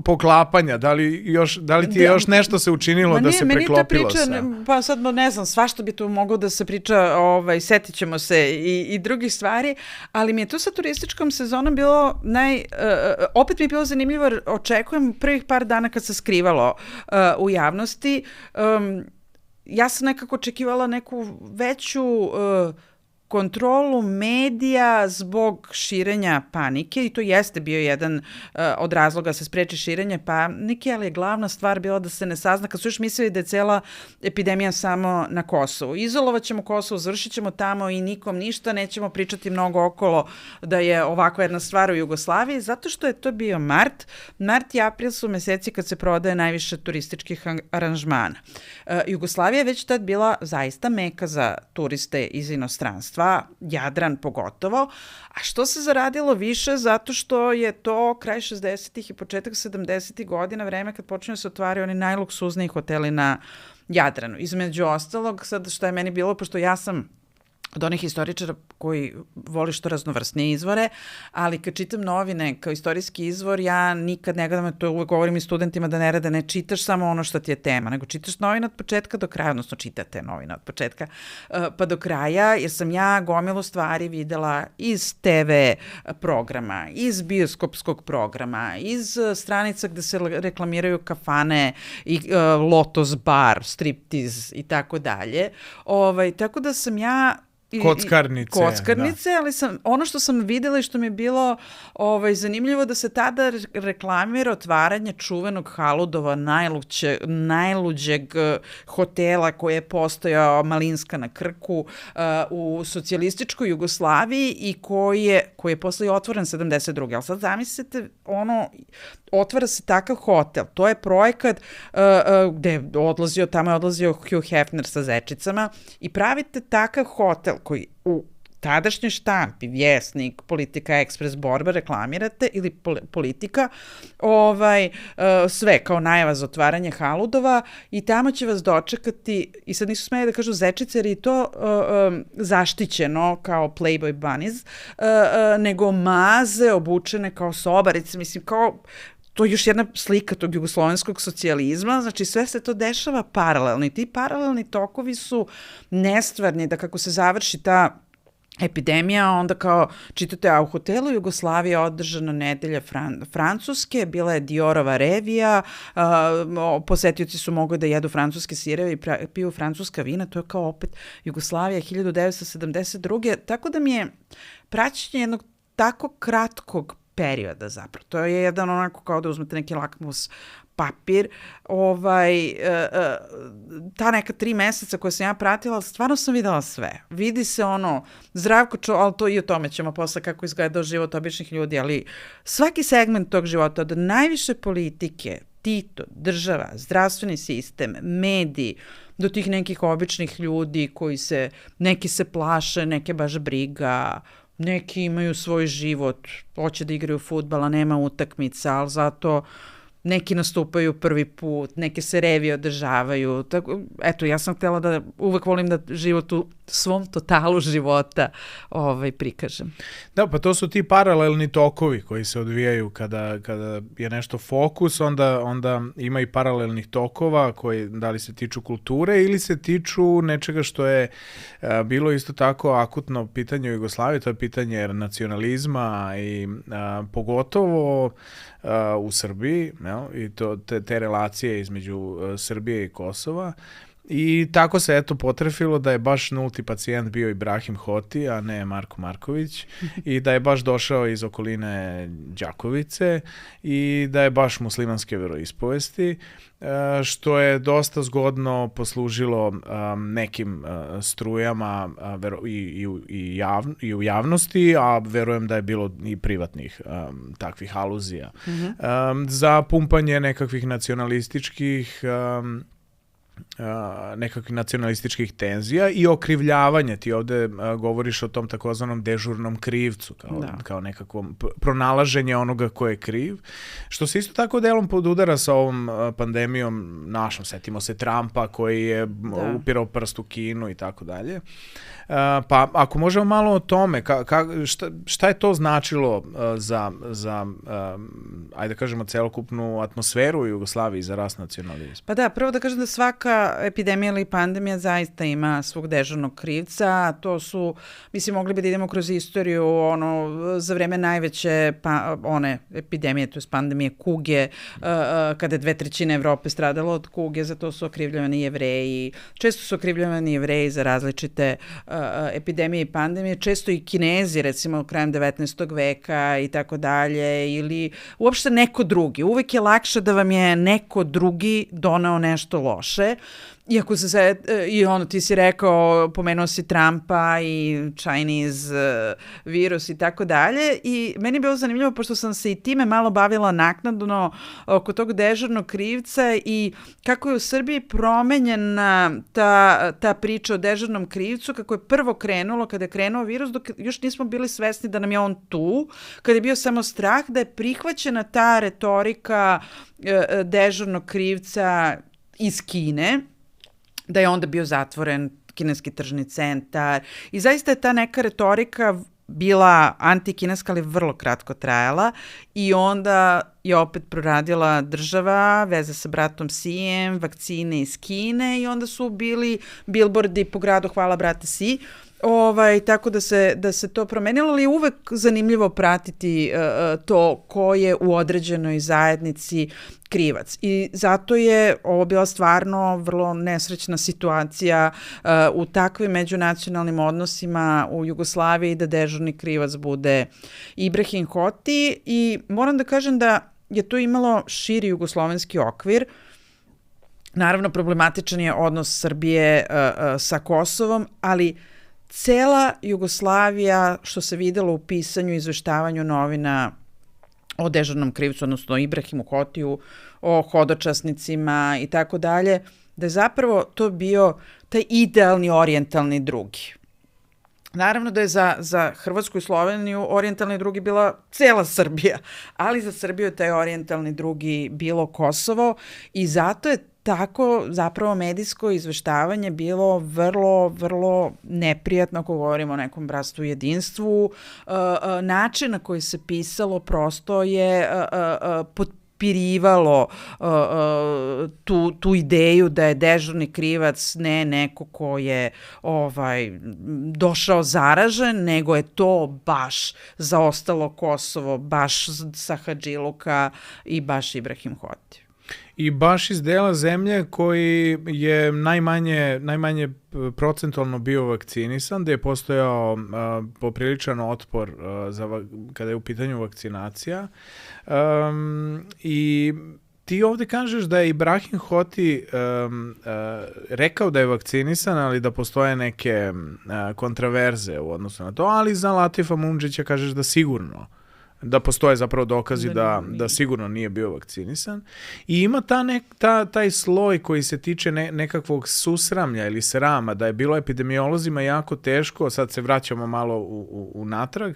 poklapanja. Da li ti je još nešto se učinilo da se preklopilo sa? Pa sad ne znam, svašta bi tu moglo da se priča, setit ćemo se i drugih stvari, ali mi je tu sa turističkom sezonom bilo opet mi je bilo zanimljivo, jer očekujem prvih par dana kad se skrivalo u javnosti. Ja sam nekako očekivala neku veću kontrolu medija zbog širenja panike i to jeste bio jedan od razloga se spreči širenje panike, ali je glavna stvar bila da se ne sazna, kad su još mislili da je cela epidemija samo na Kosovu. Izolovat ćemo Kosovo, završit ćemo tamo i nikom ništa, nećemo pričati mnogo okolo da je ovakva jedna stvar u Jugoslaviji, zato što je to bio mart. Mart i april su meseci kad se prodaje najviše turističkih aranžmana. Jugoslavija je već tad bila zaista meka za turiste iz inostranstva, Jadran pogotovo, a što se zaradilo više zato što je to kraj 60. i početak 70. godina, vreme kad počinju se otvaraju oni najluksuzniji hoteli na Jadranu. Između ostalog, sad što je meni bilo, pošto ja sam od onih historičara koji voli što raznovrsnije izvore, ali kad čitam novine kao istorijski izvor, ja nikad ne gledam, to uvek govorim i studentima da ne rade, ne čitaš samo ono što ti je tema, nego čitaš novine od početka do kraja, odnosno čitate novine od početka pa do kraja, jer sam ja gomilu stvari videla iz TV programa, iz bioskopskog programa, iz stranica gde se reklamiraju kafane i Lotos bar, striptiz i tako dalje. Tako da sam ja Kockarnice, ali ono što sam videla i što mi je bilo zanimljivo da se tada reklamira otvaranje čuvenog Haludova, najluđeg hotela koji je postojao, Malinska na Krku, u socijalističkoj Jugoslaviji i koji je posle otvoren 72. Ali sad zamislite, otvara se takav hotel, to je projekat gde je tamo je odlazio Hugh Hefner sa zečicama i pravite takav hotel koji u tadašnjoj štampi, Vjesnik, Politika, Ekspres, Borba reklamirate ili Politika, sve kao najava za otvaranje haludova i tamo će vas dočekati, i sad nisu smeli da kažu zečice jer je to zaštićeno kao Playboy bunnies, nego maze obučene kao sobarice, mislim kao to je još jedna slika tog jugoslovenskog socijalizma, znači sve se to dešava paralelno i ti paralelni tokovi su nestvarni, da kako se završi ta epidemija, onda kao čitate, a u hotelu Jugoslavija održana nedelja Francuske, bila je Diorova revija, posetioci su mogli da jedu francuske sireve i piju francuska vina, to je kao opet Jugoslavija 1972. Tako da mi je praćenje jednog tako kratkog perioda zapravo. To je jedan onako kao da uzmete neki lakmus papir, ta neka 3 meseca koje sam ja pratila, stvarno sam videla sve. Vidi se Zdravko ali to i o tome ćemo posle kako izgledao život običnih ljudi, ali svaki segment tog života, od najviše politike, Tito, država, zdravstveni sistem, mediji, do tih nekih običnih ljudi koji neki se plaše, neke baš briga, neki imaju svoj život, hoće da igraju fudbal, a nema utakmica, ali zato neki nastupaju prvi put, neke se revije održavaju. Tako, eto, ja sam htjela da uvek volim da život u svom totalu života prikažem. Da, pa to su ti paralelni tokovi koji se odvijaju kada je nešto fokus, onda ima i paralelnih tokova koji da li se tiču kulture ili se tiču nečega što je bilo isto tako akutno pitanje u Jugoslaviji, to je pitanje nacionalizma i pogotovo u Srbiji, i te relacije između Srbije i Kosova. I tako se potrefilo da je baš nulti pacijent bio Ibrahim Hoti, a ne Marko Marković, i da je baš došao iz okoline Đakovice i da je baš muslimanske veroispovesti, što je dosta zgodno poslužilo nekim strujama i u javnosti, a verujem da je bilo i privatnih takvih aluzija za pumpanje nekakvih nacionalističkih tenzija i okrivljavanje. Ti ovde govoriš o tom takozvanom dežurnom krivcu, kao nekakvom pronalaženje onoga ko je kriv, što se isto tako delom podudara sa ovom pandemijom našom. Setimo se Trumpa koji je upirao prst u Kinu i tako dalje. Pa ako možemo malo o tome, šta je to značilo za ajde kažemo, celokupnu atmosferu u Jugoslaviji za rast nacionalizma? Pa da, prvo da kažem da svaka epidemija ili pandemija zaista ima svog dežurnog krivca. To su, mislim, mogli bi da idemo kroz istoriju, za vreme najveće one epidemije, to je pandemije kuge, kada je 2/3 Evrope stradalo od kuge, za to su okrivljavani Jevreji. Često su okrivljavani Jevreji za različite epidemije i pandemije, često i Kinezi, recimo krajem 19. veka i tako dalje, ili uopšte neko drugi. Uvek je lakše da vam je neko drugi doneo nešto loše. Iako ti si rekao, pomenuo si Trumpa i Chinese virus i tako dalje, i meni je bilo zanimljivo, pošto sam se i time malo bavila naknadno oko tog dežurnog krivca i kako je u Srbiji promenjena ta priča o dežurnom krivcu, kako je prvo krenulo, kada je krenuo virus, dok još nismo bili svesni da nam je on tu, kada je bio samo strah, da je prihvaćena ta retorika dežurnog krivca iz Kine, da je onda bio zatvoren kineski tržni centar i zaista je ta neka retorika bila antikineska, ali vrlo kratko trajala i onda je opet proradila država, veza sa bratom Sijem, vakcine iz Kine i onda su bili bilbordi po gradu hvala brate Si. Tako da se to promenilo, ali je uvek zanimljivo pratiti to ko je u određenoj zajednici krivac. I zato je ovo bila stvarno vrlo nesrećna situacija u takvim međunacionalnim odnosima u Jugoslaviji da dežurni krivac bude Ibrahim Hoti i moram da kažem da je to imalo širi jugoslovenski okvir. Naravno, problematičan je odnos Srbije sa Kosovom, ali cela Jugoslavija, što se videlo u pisanju i izveštavanju novina o dežurnom krivcu, odnosno Ibrahimu Hotiju, o hodočasnicima i tako dalje, da je zapravo to bio taj idealni orijentalni drugi. Naravno da je za Hrvatsku i Sloveniju orijentalni drugi bila cela Srbija, ali za Srbiju je taj orijentalni drugi bilo Kosovo i zato je tako zapravo medijsko izveštavanje bilo vrlo, vrlo neprijatno ako govorimo o nekom bratstvu i jedinstvu. Način na koji se pisalo prosto je potpirivalo tu ideju da je dežurni krivac ne neko ko je došao zaražen, nego je to baš zaostalo Kosovo, baš sa Hadžiluka i baš Ibrahim Hoti. I baš iz dela zemlje koji je najmanje procentualno bio vakcinisan, da je postojao popriličan otpor kada je u pitanju vakcinacija. I ti ovde kažeš da je Ibrahim Hoti rekao da je vakcinisan, ali da postoje neke kontraverze u odnosu na to, ali za Latifa Mundžića kažeš da sigurno da postoje zapravo dokazi da sigurno nije bio vakcinisan. I ima taj sloj koji se tiče nekakvog susramlja ili srama, da je bilo epidemiolozima jako teško, sad se vraćamo malo u natrag,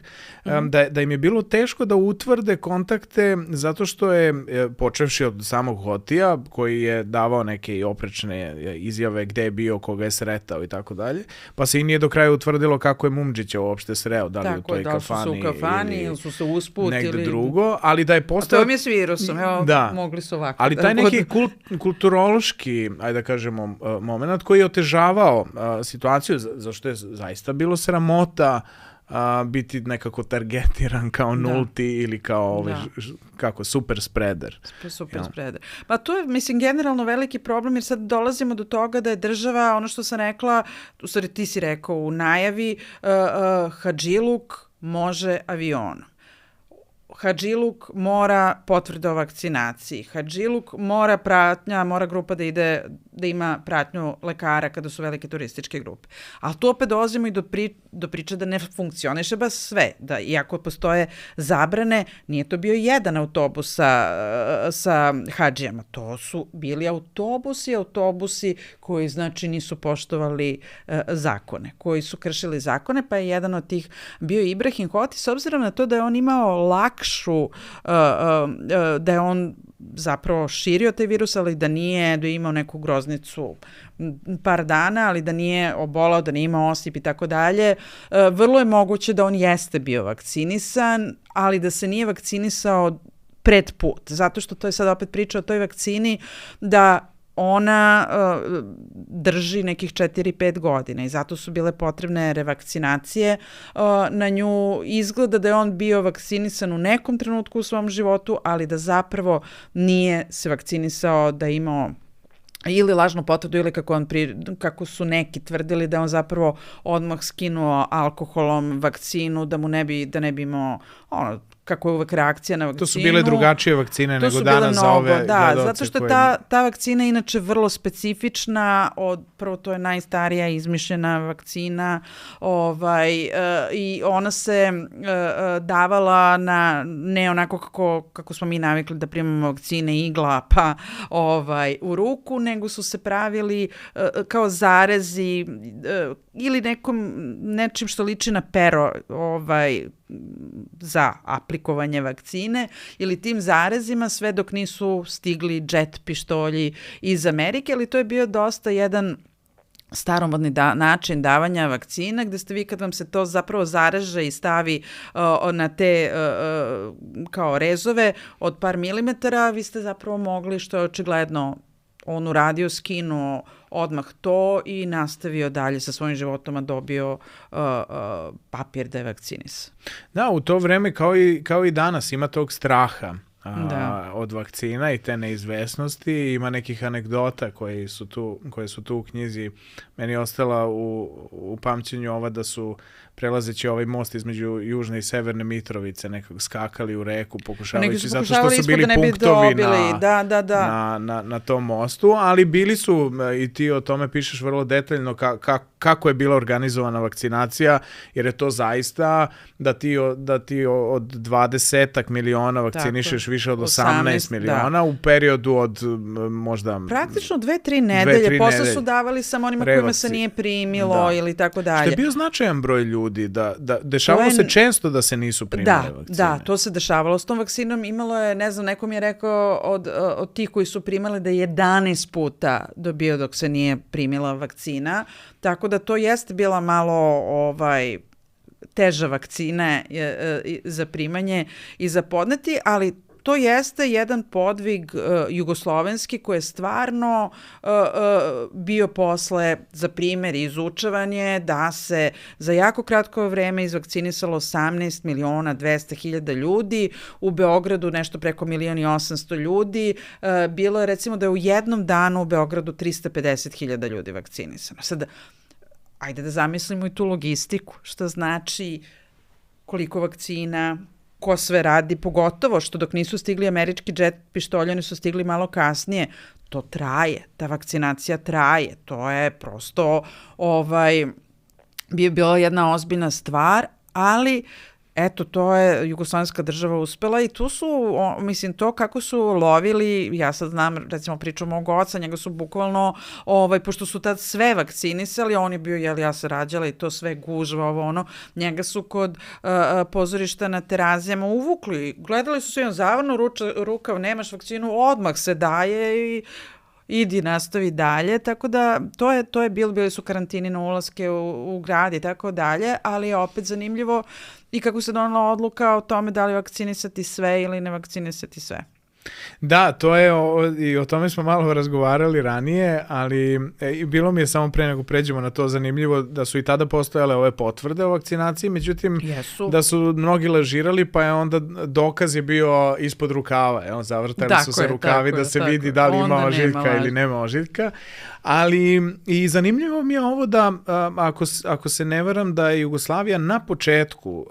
da im je bilo teško da utvrde kontakte zato što je, počevši od samog Hotija, koji je davao neke i oprečne izjave gde je bio, koga je sretao i tako dalje, pa se i nije do kraja utvrdilo kako je Mundžića uopšte sreo, da li u toj kafani, su u kafani ili su se negde drugo, ali da je postao... A to mi je s virusom, mogli su ovako. Ali taj neki kulturološki, ajde da kažemo, moment koji je otežavao situaciju, zašto je zaista bilo sramota biti nekako targetiran kao nulti ili kao super spreader. Super spreader. Pa to je, mislim, generalno veliki problem, jer sad dolazimo do toga da je država, ono što sam rekla, u stvari ti si rekao u najavi, Hadžiluk može avionom. Hadžiluk mora potvrde o vakcinaciji. Hadžiluk mora grupa da ima pratnju lekara kada su velike turističke grupe. Ali tu opet dolazimo i do priče da ne funkcioniše baš sve. Da, iako postoje zabrane, nije to bio jedan autobus sa hadžijama. To su bili autobusi koji znači nisu poštovali zakone, koji su kršili zakone, pa je jedan od tih bio Ibrahim Hoti, s obzirom na to da je on imao da je on zapravo širio taj virus, ali da je imao neku groznicu par dana, ali da nije obolao, da nije imao osip i tako dalje. Vrlo je moguće da on jeste bio vakcinisan, ali da se nije vakcinisao pred put, zato što to je sad opet priča o toj vakcini da ona drži nekih 4-5 godina i zato su bile potrebne revakcinacije na nju. Izgleda da je on bio vakcinisan u nekom trenutku u svom životu, ali da zapravo nije se vakcinisao, da je imao ili lažnu potvrdu ili kako su neki tvrdili da on zapravo odmah skinuo alkoholom vakcinu, da ne bi imao kako je uvek reakcija na vakcinu. To su bile drugačije vakcine nego danas za ove gledalce. Da, zato što je ta vakcina inače vrlo specifična, prvo to je najstarija izmišljena vakcina i ona se davala ne onako kako smo mi navikli da primamo vakcine igla pa u ruku, nego su se pravili kao zarezi ili nečim što liči na pero za aplikovanje vakcine ili tim zarezima sve dok nisu stigli džet pištolji iz Amerike, ali to je bio dosta jedan staromodni način davanja vakcina, gde ste vi kad vam se to zapravo zareže i stavi na te kao rezove od par milimetara, vi ste zapravo mogli, što je očigledno on uradio, skinuo odmah to i nastavio dalje sa svojim životom, a dobio papir da je vakcinis. Da, u to vreme kao i danas ima tog straha od vakcina i te neizvesnosti. Ima nekih anegdota koje su tu u knjizi. Meni je ostala u pamćenju ova da su prelazeći ovaj most između Južne i Severne Mitrovice nekako skakali u reku pokušavajući, zato što su bili punktovi na tom mostu, ali bili su, i ti o tome pišeš vrlo detaljno, kako je bila organizovana vakcinacija, jer je to zaista da ti od 20 miliona vakcinišeš više od 18 miliona u periodu od možda... Praktično 2-3 nedelje, posle su davali samo onima kojima se nije primilo ili tako dalje. Što je bio značajan broj ljudi ljudi, dešavalo se često da se nisu primale vakcine. Da, to se dešavalo s tom vakcinom. Imalo je, ne znam, neko mi je rekao od tih koji su primali da je 11 puta dobio dok se nije primila vakcina, tako da to jeste bila malo teža vakcina za primanje i za podneti, ali to jeste jedan podvig jugoslovenski koji je stvarno bio posle, za primjer, izučavan je da se za jako kratko vreme izvakcinisalo 18.200.000 ljudi, u Beogradu nešto preko 1.800.000 ljudi, bilo je recimo da je u jednom danu u Beogradu 350.000 ljudi vakcinisano. Sad, ajde da zamislimo i tu logistiku, što znači koliko vakcina, ko sve radi, pogotovo što dok nisu stigli američki džet pištolji, oni su stigli malo kasnije. To traje, ta vakcinacija traje, to je prosto bi bila jedna ozbiljna stvar, ali eto, to je jugoslovenska država uspela i tu su, mislim, to kako su lovili, ja sad znam, recimo priču mog oca, njega su bukvalno, pošto su tad sve vakcinisali, on je bio, ja se rađala i to sve gužva, njega su kod pozorišta na Terazijama uvukli, gledali su se, on zavrnu rukav, nemaš vakcinu, odmah se daje i idi, nastavi dalje, tako da to je bili su karantini na ulaske u grad i tako dalje, ali je opet zanimljivo i kako se donala odluka o tome da li vakcinisati sve ili ne vakcinisati sve. Da, to je, i o tome smo malo razgovarali ranije, ali bilo mi je samo pre nego pređemo na to zanimljivo da su i tada postojale ove potvrde o vakcinaciji, međutim da su mnogi lažirali, pa je onda dokaz je bio ispod rukava, zavrtali su se rukavi da se vidi da li ima ožiljka ili nema ožiljka. Ali i zanimljivo mi je ovo da, ako se ne varam, da je Jugoslavija na početku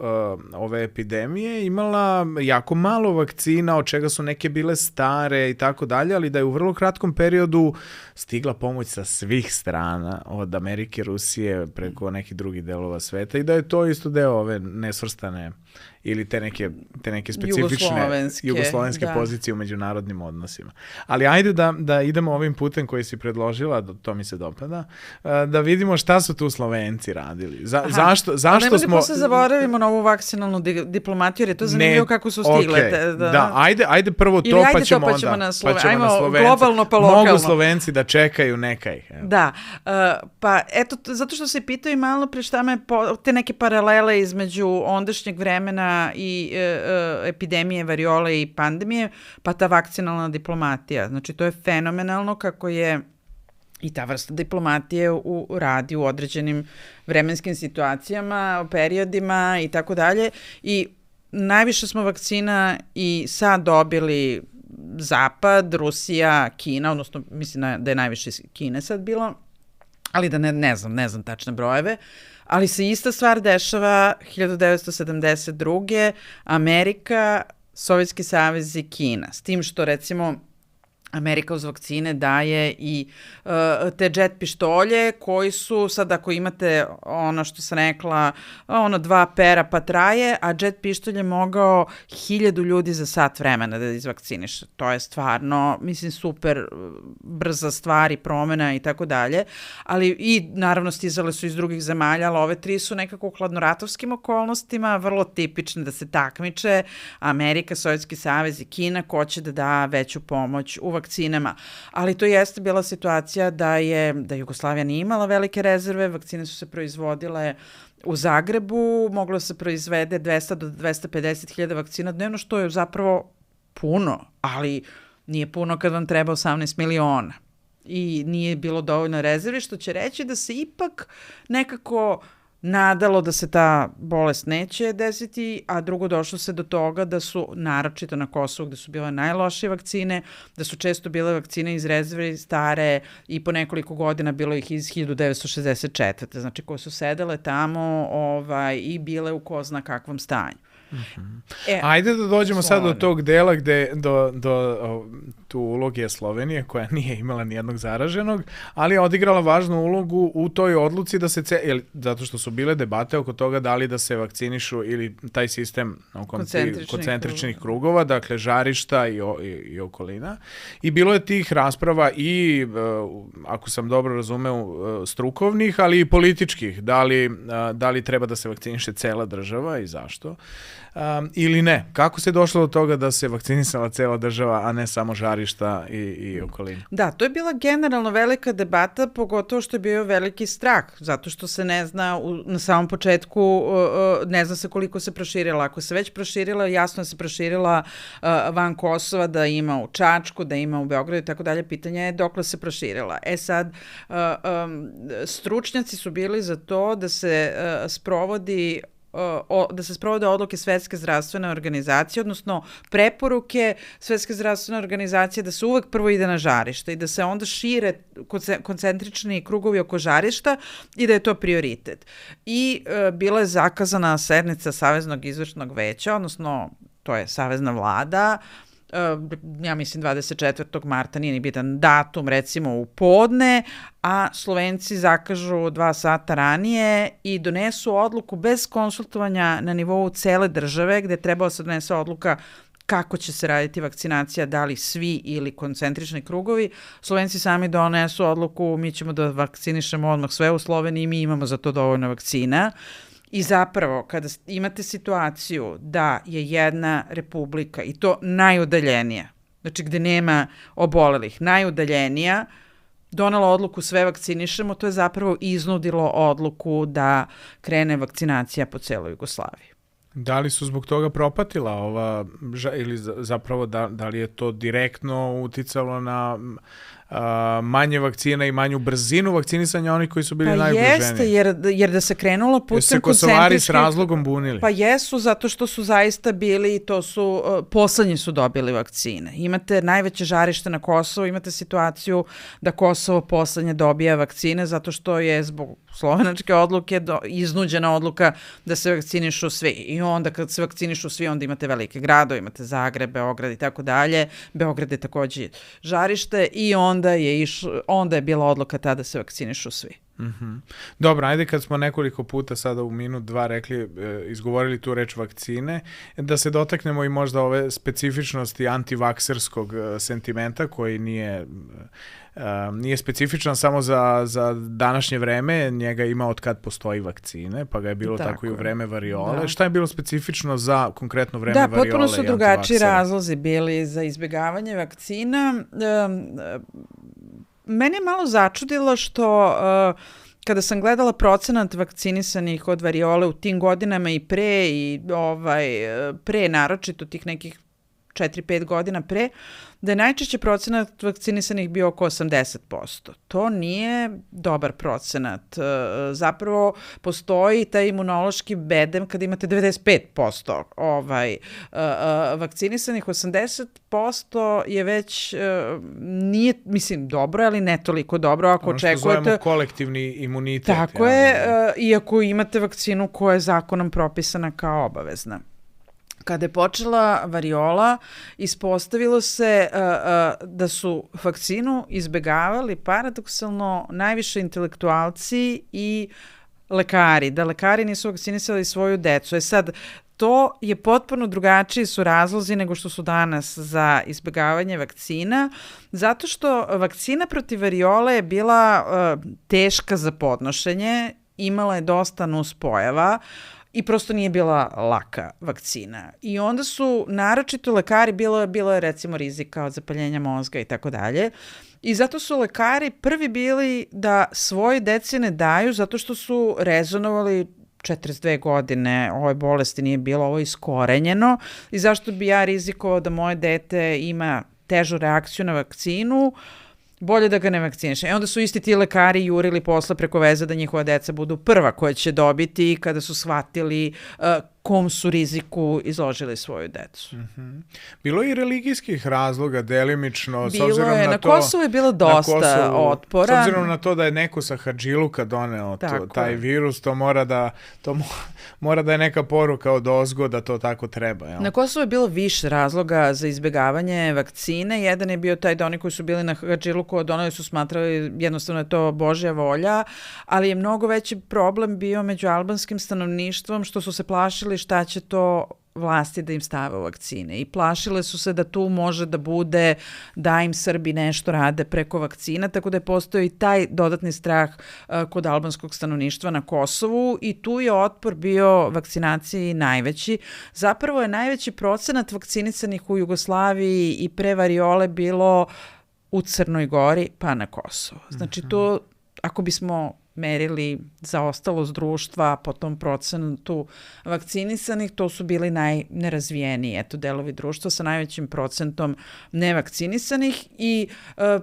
ove epidemije imala jako malo vakcina, od čega su neke bile stare i tako dalje, ali da je u vrlo kratkom periodu stigla pomoć sa svih strana, od Amerike, Rusije, preko nekih drugih delova sveta i da je to isto deo ove nesvrstane ili te neke specifične jugoslovenske pozicije u međunarodnim odnosima. Ali ajde da idemo ovim putem koji si predložila, to mi se dopada, da vidimo šta su tu Slovenci radili. Zašto smo... Nemoj da posle zaboravimo na ovu vakcinalnu diplomatiju, jer je to zanimljivo kako su stigle. Da, ajde prvo to, pa ćemo na Slovenci. Ajmo globalno pa lokalno. Mogu Slovenci da čekaju nekaj. Da, pa eto, zato što se pitaju malo pre šta me te neke paralele između ondašnjeg vremena i epidemije, variole i pandemije, pa ta vakcinalna diplomatija. Znači, to je fenomenalno kako je i ta vrsta diplomatije radi u određenim vremenskim situacijama, periodima i tako dalje. I najviše smo vakcina i sad dobili Zapad, Rusija, Kina, odnosno mislim da je najviše Kine sad bilo, ali da ne znam tačne brojeve. Ali se ista stvar dešava 1972. Amerika, Sovjetski savez i Kina. S tim što, recimo, Amerika uz vakcine daje i te džet pištolje koji su, sad ako imate ono što sam rekla, 2 pera pa traje, a džet pištolj je mogao 1000 ljudi za sat vremena da izvakciniše. To je stvarno, mislim, super brza stvar i promena i tako dalje, ali i naravno stizale su iz drugih zemalja, ali ove 3 su nekako u hladnoratovskim okolnostima, vrlo tipične da se takmiče, Amerika, Sovjetski savez i Kina, ko će da da veću pomoć u vakcinama. Ali to jeste bila situacija da Jugoslavija nije imala velike rezerve, vakcine su se proizvodile u Zagrebu, moglo se proizvede 200 do 250.000 vakcina dnevno, što je zapravo puno, ali nije puno kad vam treba 18 miliona. I nije bilo dovoljno rezervi, što će reći da se ipak nekako nadalo da se ta bolest neće desiti, a drugo došlo se do toga da su, naročito na Kosovu gde su bile najlošije vakcine, da su često bile vakcine iz rezerve stare i po nekoliko godina bilo ih iz 1964. Znači koje su sedele tamo i bile u ko zna kakvom stanju. Ajde da dođemo sad do tog dela gde tu uloge Slovenije, koja nije imala nijednog zaraženog, ali je odigrala važnu ulogu u toj odluci da se, zato što su bile debate oko toga da li da se vakcinišu ili taj sistem koncentričnih krugova, dakle žarišta i okolina. I bilo je tih rasprava i, ako sam dobro razumeo, strukovnih, ali i političkih, da li treba da se vakciniše cela država i zašto. Ili ne. Kako se došlo do toga da se vakcinisala cela država, a ne samo žarišta i okolina? Da, to je bila generalno velika debata, pogotovo što je bio veliki strah, zato što se ne zna na samom početku, ne zna se koliko se proširila. Ako se već proširila, jasno je se proširila van Kosova, da ima u Čačku, da ima u Beogradu i tako dalje. Pitanje je dokle se proširila. Sad, stručnjaci su bili za to da se sprovode odluke Svetske zdravstvene organizacije, odnosno preporuke Svetske zdravstvene organizacije da se uvek prvo ide na žarište i da se onda šire koncentrični krugovi oko žarišta i da je to prioritet. I bila je zakazana sednica Saveznog izvršnog veća, odnosno to je Savezna vlada, ja mislim 24. marta, nije ni bitan datum, recimo u podne, a Slovenci zakažu 2 sata ranije i donesu odluku bez konsultovanja na nivou cele države, gde trebalo se donese odluka kako će se raditi vakcinacija, da li svi ili koncentrični krugovi. Slovenci sami donesu odluku, mi ćemo da vakcinišemo odmah sve u Sloveniji, mi imamo za to dovoljno vakcina. I zapravo, kada imate situaciju da je jedna republika, i to najudaljenija, znači gde nema obolelih, najudaljenija, donela odluku sve vakcinišemo, to je zapravo iznudilo odluku da krene vakcinacija po celoj Jugoslaviji. Da li su zbog toga propatila ova, ili zapravo da li je to direktno uticalo na manje vakcina i manju brzinu vakcinisanja onih koji su bili najugroženiji? Pa jeste, jer da se krenulo putem koncentričnih... Jesu se Kosovari s razlogom bunili? Pa jesu, zato što su zaista bili, poslednji su dobili vakcine. Imate najveće žarište na Kosovo, imate situaciju da Kosovo poslednje dobija vakcine, zato što je zbog slovenačke odluke iznuđena odluka da se vakcinišu svi. I onda kad se vakcinišu svi, onda imate velike gradove, imate Zagreb, Beograd i tako dalje. Beograd je takođe žarište i onda je bila odluka tada da se vakcinišu svi. Dobro, ajde kad smo nekoliko puta sada u minut, 2 rekli, izgovorili tu reč vakcine, da se dotaknemo i možda ove specifičnosti antivakserskog sentimenta koji nije specifičan samo za današnje vreme, njega ima od kad postoji vakcine, pa ga je bilo tako i u vreme variole. Da. Šta je bilo specifično za konkretno vreme variole i antivaksera? Da, potpuno su drugačiji razlozi bili za izbjegavanje vakcina. Mene je malo začudilo što kada sam gledala procenat vakcinisanih od variole u tim godinama i pre naročito tih nekih 4-5 godina pre, da je najčešće procenat vakcinisanih bio oko 80%. To nije dobar procenat. Zapravo postoji taj imunološki bedem kada imate 95% vakcinisanih. 80% je već nije, mislim, dobro, ali ne toliko dobro. Ako ono što očekujete, zovemo kolektivni imunitet. Tako je, iako imate vakcinu koja je zakonom propisana kao obavezna. Kada je počela variola, ispostavilo se da su vakcinu izbegavali paradoksalno najviše intelektualci i lekari, da lekari nisu vakcinisali svoju decu. Sad, to je potpuno drugačiji su razlozi nego što su danas za izbegavanje vakcina, zato što vakcina protiv variole je bila teška za podnošenje, imala je dosta nuspojava, i prosto nije bila laka vakcina. I onda su naročito lekari, bilo je recimo rizika od zapaljenja mozga i tako dalje. I zato su lekari prvi bili da svoje deci ne daju zato što su rezonovali 42 godine ove bolesti nije bilo, ovo iskorenjeno i zašto bi ja rizikovao da moje dete ima težu reakciju na vakcinu, bolje da ga ne vakciniše. I onda su isti ti lekari jurili posle preko veze da njihova deca budu prva koja će dobiti kada su shvatili kom su riziku izložili svoju decu. Bilo je i religijskih razloga, delimično, s Bilo obzirom je, na na to... Kosovu je bilo dosta otpora. S obzirom na to da je neko sa Hadžiluka doneo taj virus, to mora da je neka poruka od ozgo da to tako treba. Jel? Na Kosovu je bilo više razloga za izbjegavanje vakcine. Jedan je bio taj da oni koji su bili na Hadžiluku doneli su smatrali jednostavno je to Božja volja, ali je mnogo veći problem bio među albanskim stanovništvom što su se plašili šta će to vlasti da im stave u vakcine i plašile su se da tu može da bude da im Srbi nešto rade preko vakcina, tako da je postojao i taj dodatni strah kod albanskog stanovništva na Kosovu i tu je otpor bio vakcinaciji najveći. Zapravo je najveći procenat vakcinisanih u Jugoslaviji i pre variole bilo u Crnoj Gori pa na Kosovu. Znači to, ako bismo merili zaostalost društva po tom procentu vakcinisanih, to su bili najnerazvijeniji delovi društva sa najvećim procentom nevakcinisanih i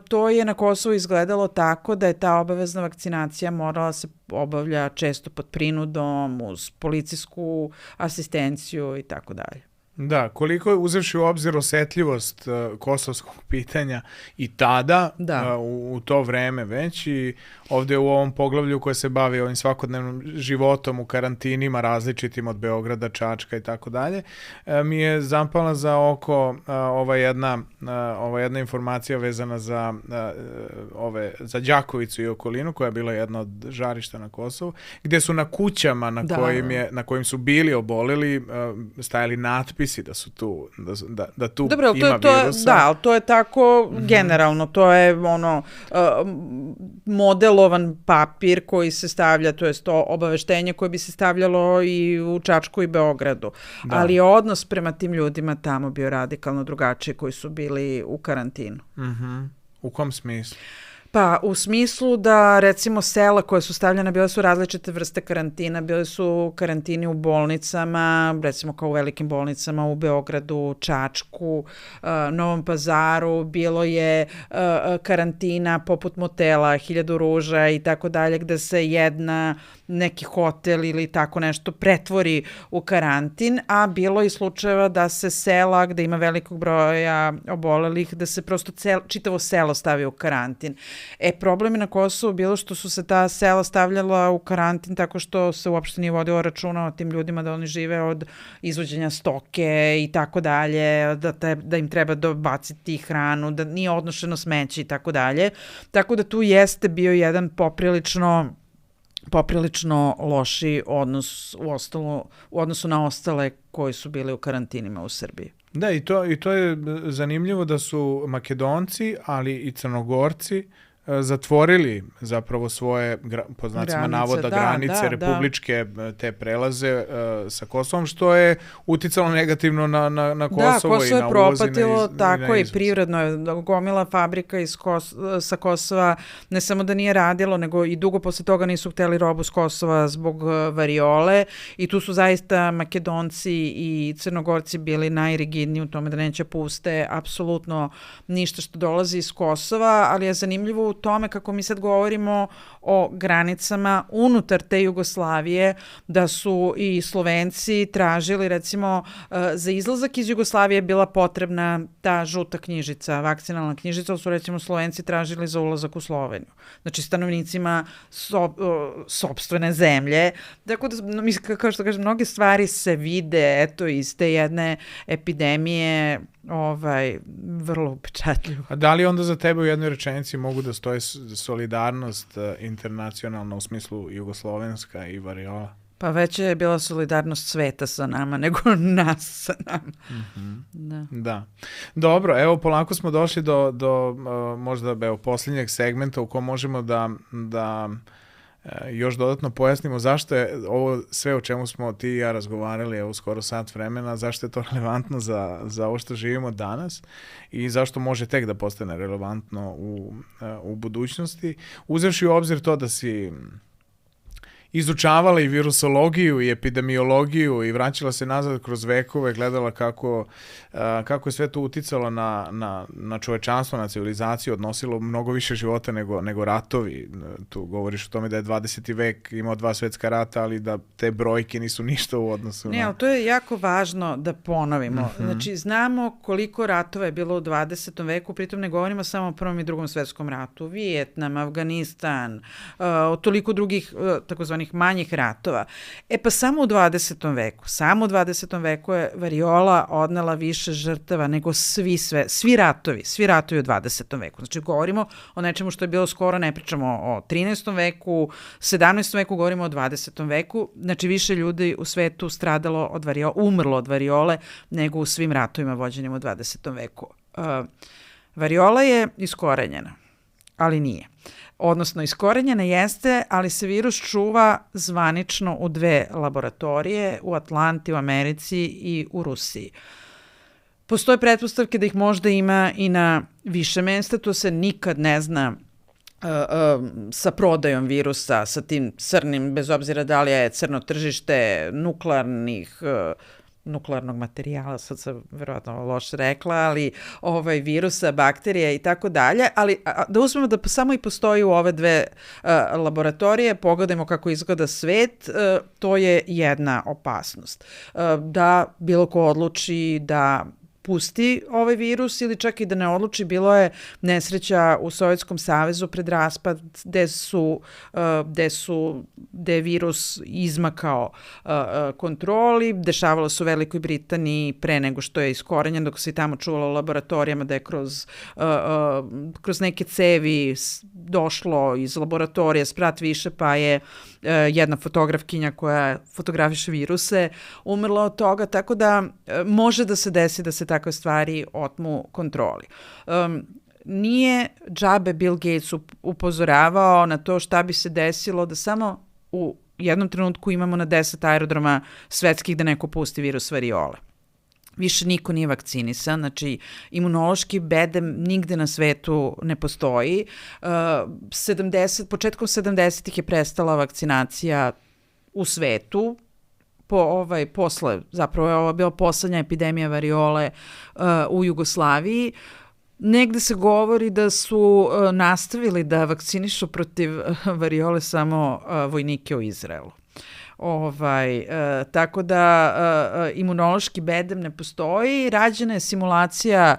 to je na Kosovu izgledalo tako da je ta obavezna vakcinacija morala se obavlja često pod prinudom, uz policijsku asistenciju i tako dalje. Da, koliko je uzevši u obzir osetljivost kosovskog pitanja i tada, u to vreme već i ovdje u ovom poglavlju koje se bavi ovim svakodnevnim životom u karantinima različitim od Beograda, Čačka i tako dalje, mi je zapala za oko ova jedna informacija vezana za Đakovicu i okolinu koja je bila jedna od žarišta na Kosovu, gdje su na kućama na kojim su bili oboleli stajali natpisi da su tu, da tu dobro, ima virusa. Da, ali to je tako generalno, to je modelovan papir koji se stavlja, to jest to obaveštenje koje bi se stavljalo i u Čačku i Beogradu. Da. Ali je odnos prema tim ljudima tamo bio radikalno drugačiji koji su bili u karantinu. U kom smislu? Pa u smislu da recimo sela koje su stavljene bile su različite vrste karantina, bile su karantini u bolnicama, recimo kao u velikim bolnicama u Beogradu, Čačku, Novom Pazaru, bilo je karantina poput motela, 1000 ruža i tako dalje gde se neki hotel ili tako nešto pretvori u karantin, a bilo i slučajeva da se sela gde ima velikog broja obolelih, da se prosto čitavo selo stavi u karantin. Problem je na Kosovu bilo što su se ta sela stavljala u karantin tako što se uopšte nije vodilo računa o tim ljudima da oni žive od izvođenja stoke i tako dalje, da im treba dobaciti hranu, da nije odnošeno smeće i tako dalje. Tako da tu jeste bio jedan poprilično loši odnos u odnosu na ostale koji su bili u karantinima u Srbiji. Da, i to je zanimljivo da su Makedonci, ali i Crnogorci zatvorili zapravo svoje, po znacima navoda, granice republičke, te prelaze sa Kosovom, što je uticalo negativno na Kosovo i na uvoz. Da, Kosovo je propatilo, tako i privredno je. Gomila fabrika sa Kosova ne samo da nije radilo, nego i dugo posle toga nisu hteli robu s Kosova zbog variole i tu su zaista Makedonci i Crnogorci bili najrigidniji u tome da neće puste apsolutno ništa što dolazi iz Kosova, ali je zanimljivo u tome kako mi sad govorimo o granicama unutar te Jugoslavije, da su i Slovenci tražili, recimo, za izlazak iz Jugoslavije bila potrebna ta žuta knjižica, vakcinalna knjižica, su recimo Slovenci tražili za ulazak u Sloveniju. Znači, stanovnicima sopstvene zemlje. Tako da, kao što kažem, mnoge stvari se vide, iz te jedne epidemije, vrlo upečatljivo. A da li onda za tebe u jednoj rečenici mogu da stoje solidarnost internacionalna u smislu jugoslovenska i variola? Pa već je bila solidarnost sveta sa nama nego nas sa nama. Da. Dobro, evo polako smo došli do možda posljednjeg segmenta u kojem možemo da još dodatno pojasnimo zašto je ovo sve o čemu smo ti i ja razgovarali skoro sat vremena, zašto je to relevantno za ovo što živimo danas i zašto može tek da postane relevantno u budućnosti. Uzevši u obzir to da si izučavala i virusologiju i epidemiologiju i vraćala se nazad kroz vekove, gledala kako je sve to uticalo na čovečanstvo, na civilizaciju, odnosilo mnogo više života nego ratovi. Tu govoriš o tome da je 20. vek imao 2 svetska rata, ali da te brojke nisu ništa u odnosu na... Ne, ali to je jako važno da ponovimo. Znači, znamo koliko ratova je bilo u 20. veku, pritom ne govorimo samo o Prvom i Drugom svetskom ratu. Vijetnam, Afganistan, toliko drugih takozvanih manjih ratova. Pa samo u 20. veku je variola odnela više žrtava nego svi ratovi u 20. veku. Znači, govorimo o nečemu što je bilo skoro, ne pričamo o 13. veku, 17. veku, govorimo o 20. veku. Znači, više ljudi u svetu umrlo od variole nego u svim ratovima vođenim u 20. veku. Variola je iskorenjena, ali nije. Odnosno, iskorenjena jeste, ali se virus čuva zvanično u 2 laboratorije, u Atlanti, u Americi i u Rusiji. Postoje pretpostavke da ih možda ima i na više mesta, to se nikad ne zna sa prodajom virusa, sa tim crnim, bez obzira da li je crno tržište nuklearnog materijala, sad sam verovatno loše rekla, ali virusa, bakterija i tako dalje, ali da uzmemo da samo i postoji u ove 2 laboratorije, pogledajmo kako izgleda svet, to je jedna opasnost. Da bilo ko odluči da pusti ovaj virus ili čak i da ne odluči, bilo je nesreća u Sovjetskom savezu pred raspad gde je virus izmakao kontroli, dešavalo se u Velikoj Britaniji pre nego što je iskorenjen, dok se i tamo čuvalo u laboratorijama da je kroz neke cevi došlo iz laboratorija sprat više, pa je jedna fotografkinja koja fotografiše viruse umrla od toga, tako da može da se desi da se takve stvari otmu kontroli. Nije džabe Bill Gates upozoravao na to šta bi se desilo da samo u jednom trenutku imamo na 10 aerodroma svetskih da neko pusti virus variole. Više niko nije vakcinisan, znači imunološki bedem nigde na svetu ne postoji. Početkom 70-ih je prestala vakcinacija u svetu, zapravo je ovo bila poslednja epidemija variole u Jugoslaviji. Negde se govori da su nastavili da vakcinišu protiv variole samo vojnike u Izraelu. Tako da imunološki bedem ne postoji. Rađena je simulacija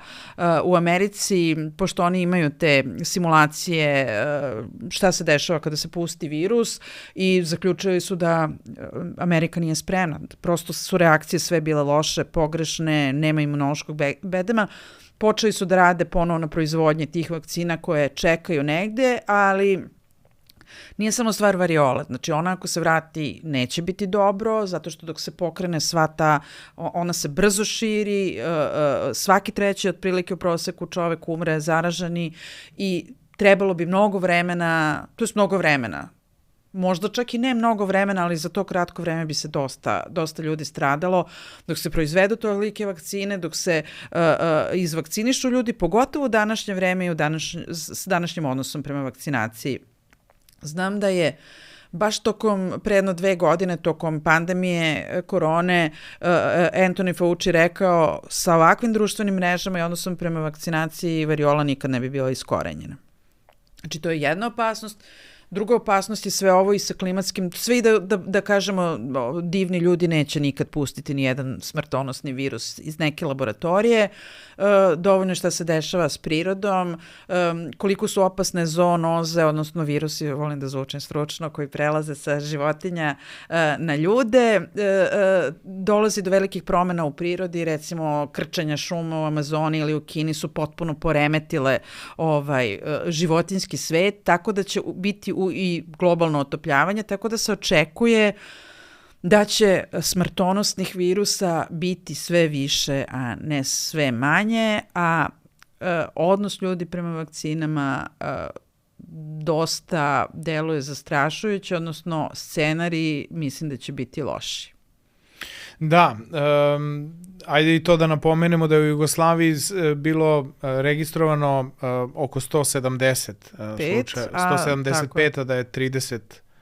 u Americi, pošto oni imaju te simulacije šta se dešava kada se pusti virus, i zaključili su da Amerika nije spremna. Prosto su reakcije sve bile loše, pogrešne, nema imunološkog bedema. Počeli su da rade ponovo na proizvodnje tih vakcina koje čekaju negde, ali nije samo stvar variole. Znači, ona ako se vrati neće biti dobro, zato što dok se pokrene ona se brzo širi, svaki 3. otprilike u proseku čovek umre zaraženi i trebalo bi mnogo vremena, možda čak i ne mnogo vremena, ali za to kratko vreme bi se dosta ljudi stradalo, dok se proizvedu tolike vakcine, dok se izvakcinišu ljudi, pogotovo u današnje vreme i s današnjim odnosom prema vakcinaciji. Znam da je baš pre jedno 2 godine, tokom pandemije korone, Anthony Fauci rekao, sa ovakvim društvenim mrežama i odnosom prema vakcinaciji variola nikad ne bi bila iskorenjena. Znači, to je jedna opasnost. Druga opasnost je sve ovo i sa klimatskim, sve i da kažemo, divni ljudi neće nikad pustiti ni jedan smrtonosni virus iz neke laboratorije. Dovoljno je šta se dešava s prirodom, koliko su opasne zoonoze, odnosno virusi, volim da zvučem stručno, koji prelaze sa životinja na ljude. Dolazi do velikih promena u prirodi, recimo krčenja šuma u Amazoni ili u Kini su potpuno poremetile životinjski svet, tako da će biti i globalno otopljavanje, tako da se očekuje da će smrtonosnih virusa biti sve više, a ne sve manje, a odnos ljudi prema vakcinama dosta deluje zastrašujuće, odnosno scenariji mislim da će biti loši. Da, ajde i to da napomenemo da je u Jugoslaviji bilo registrovano oko 170 slučaja, 175, a da je 30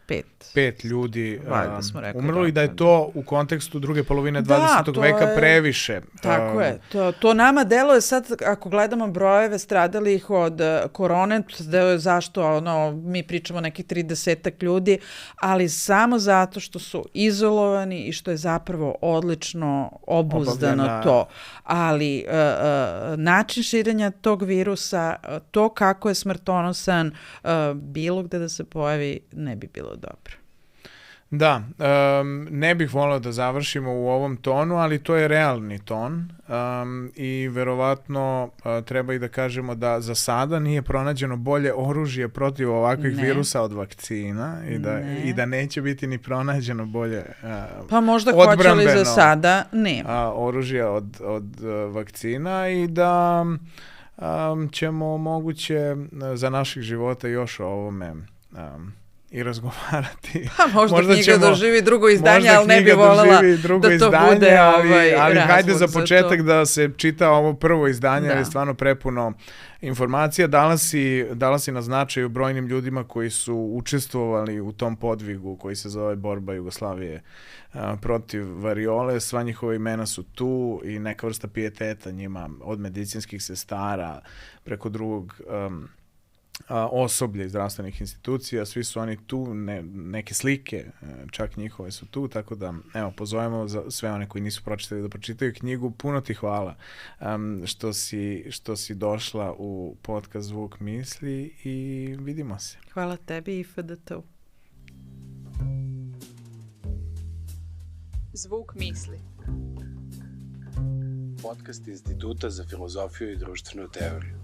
5 ljudi umrlo i da je da. To u kontekstu druge polovine 20. veka previše. Tako je. To nama deluje sad, ako gledamo brojeve stradalih od korone, deluje zašto mi pričamo nekih 30 ljudi, ali samo zato što su izolovani i što je zapravo odlično obuzdano to. Ali način širenja tog virusa, to kako je smrtonosan, bilo gde da se pojavi, ne bi bilo dobro. Da, ne bih voleo da završimo u ovom tonu, ali to je realni ton i verovatno treba i da kažemo da za sada nije pronađeno bolje oružje protiv ovakvih virusa od vakcina i da neće biti ni pronađeno bolje pa možda hoće li za sada, nema. Oružje od vakcina i da ćemo moguće za naših života još o ovome i razgovarati. Možda knjiga doživi drugo izdanje, ali ne bi voljela da to bude ali hajde za početak da se čita ovo prvo izdanje, jer je stvarno prepuno informacija. Dala si na značaju brojnim ljudima koji su učestvovali u tom podvigu koji se zove Borba Jugoslavije protiv variole. Sva njihova imena su tu i neka vrsta pijeteta njima, od medicinskih sestara preko drugog osoblje iz zdravstvenih institucija, svi su oni tu, neke slike, čak njihove su tu, tako da, evo, pozovemo za sve one koji nisu pročitali da pročitaju knjigu. Puno ti hvala što si došla u podcast Zvuk misli i vidimo se. Hvala tebi i FDT-u. Zvuk misli. Podcast Instituta za filozofiju i društvenu teoriju.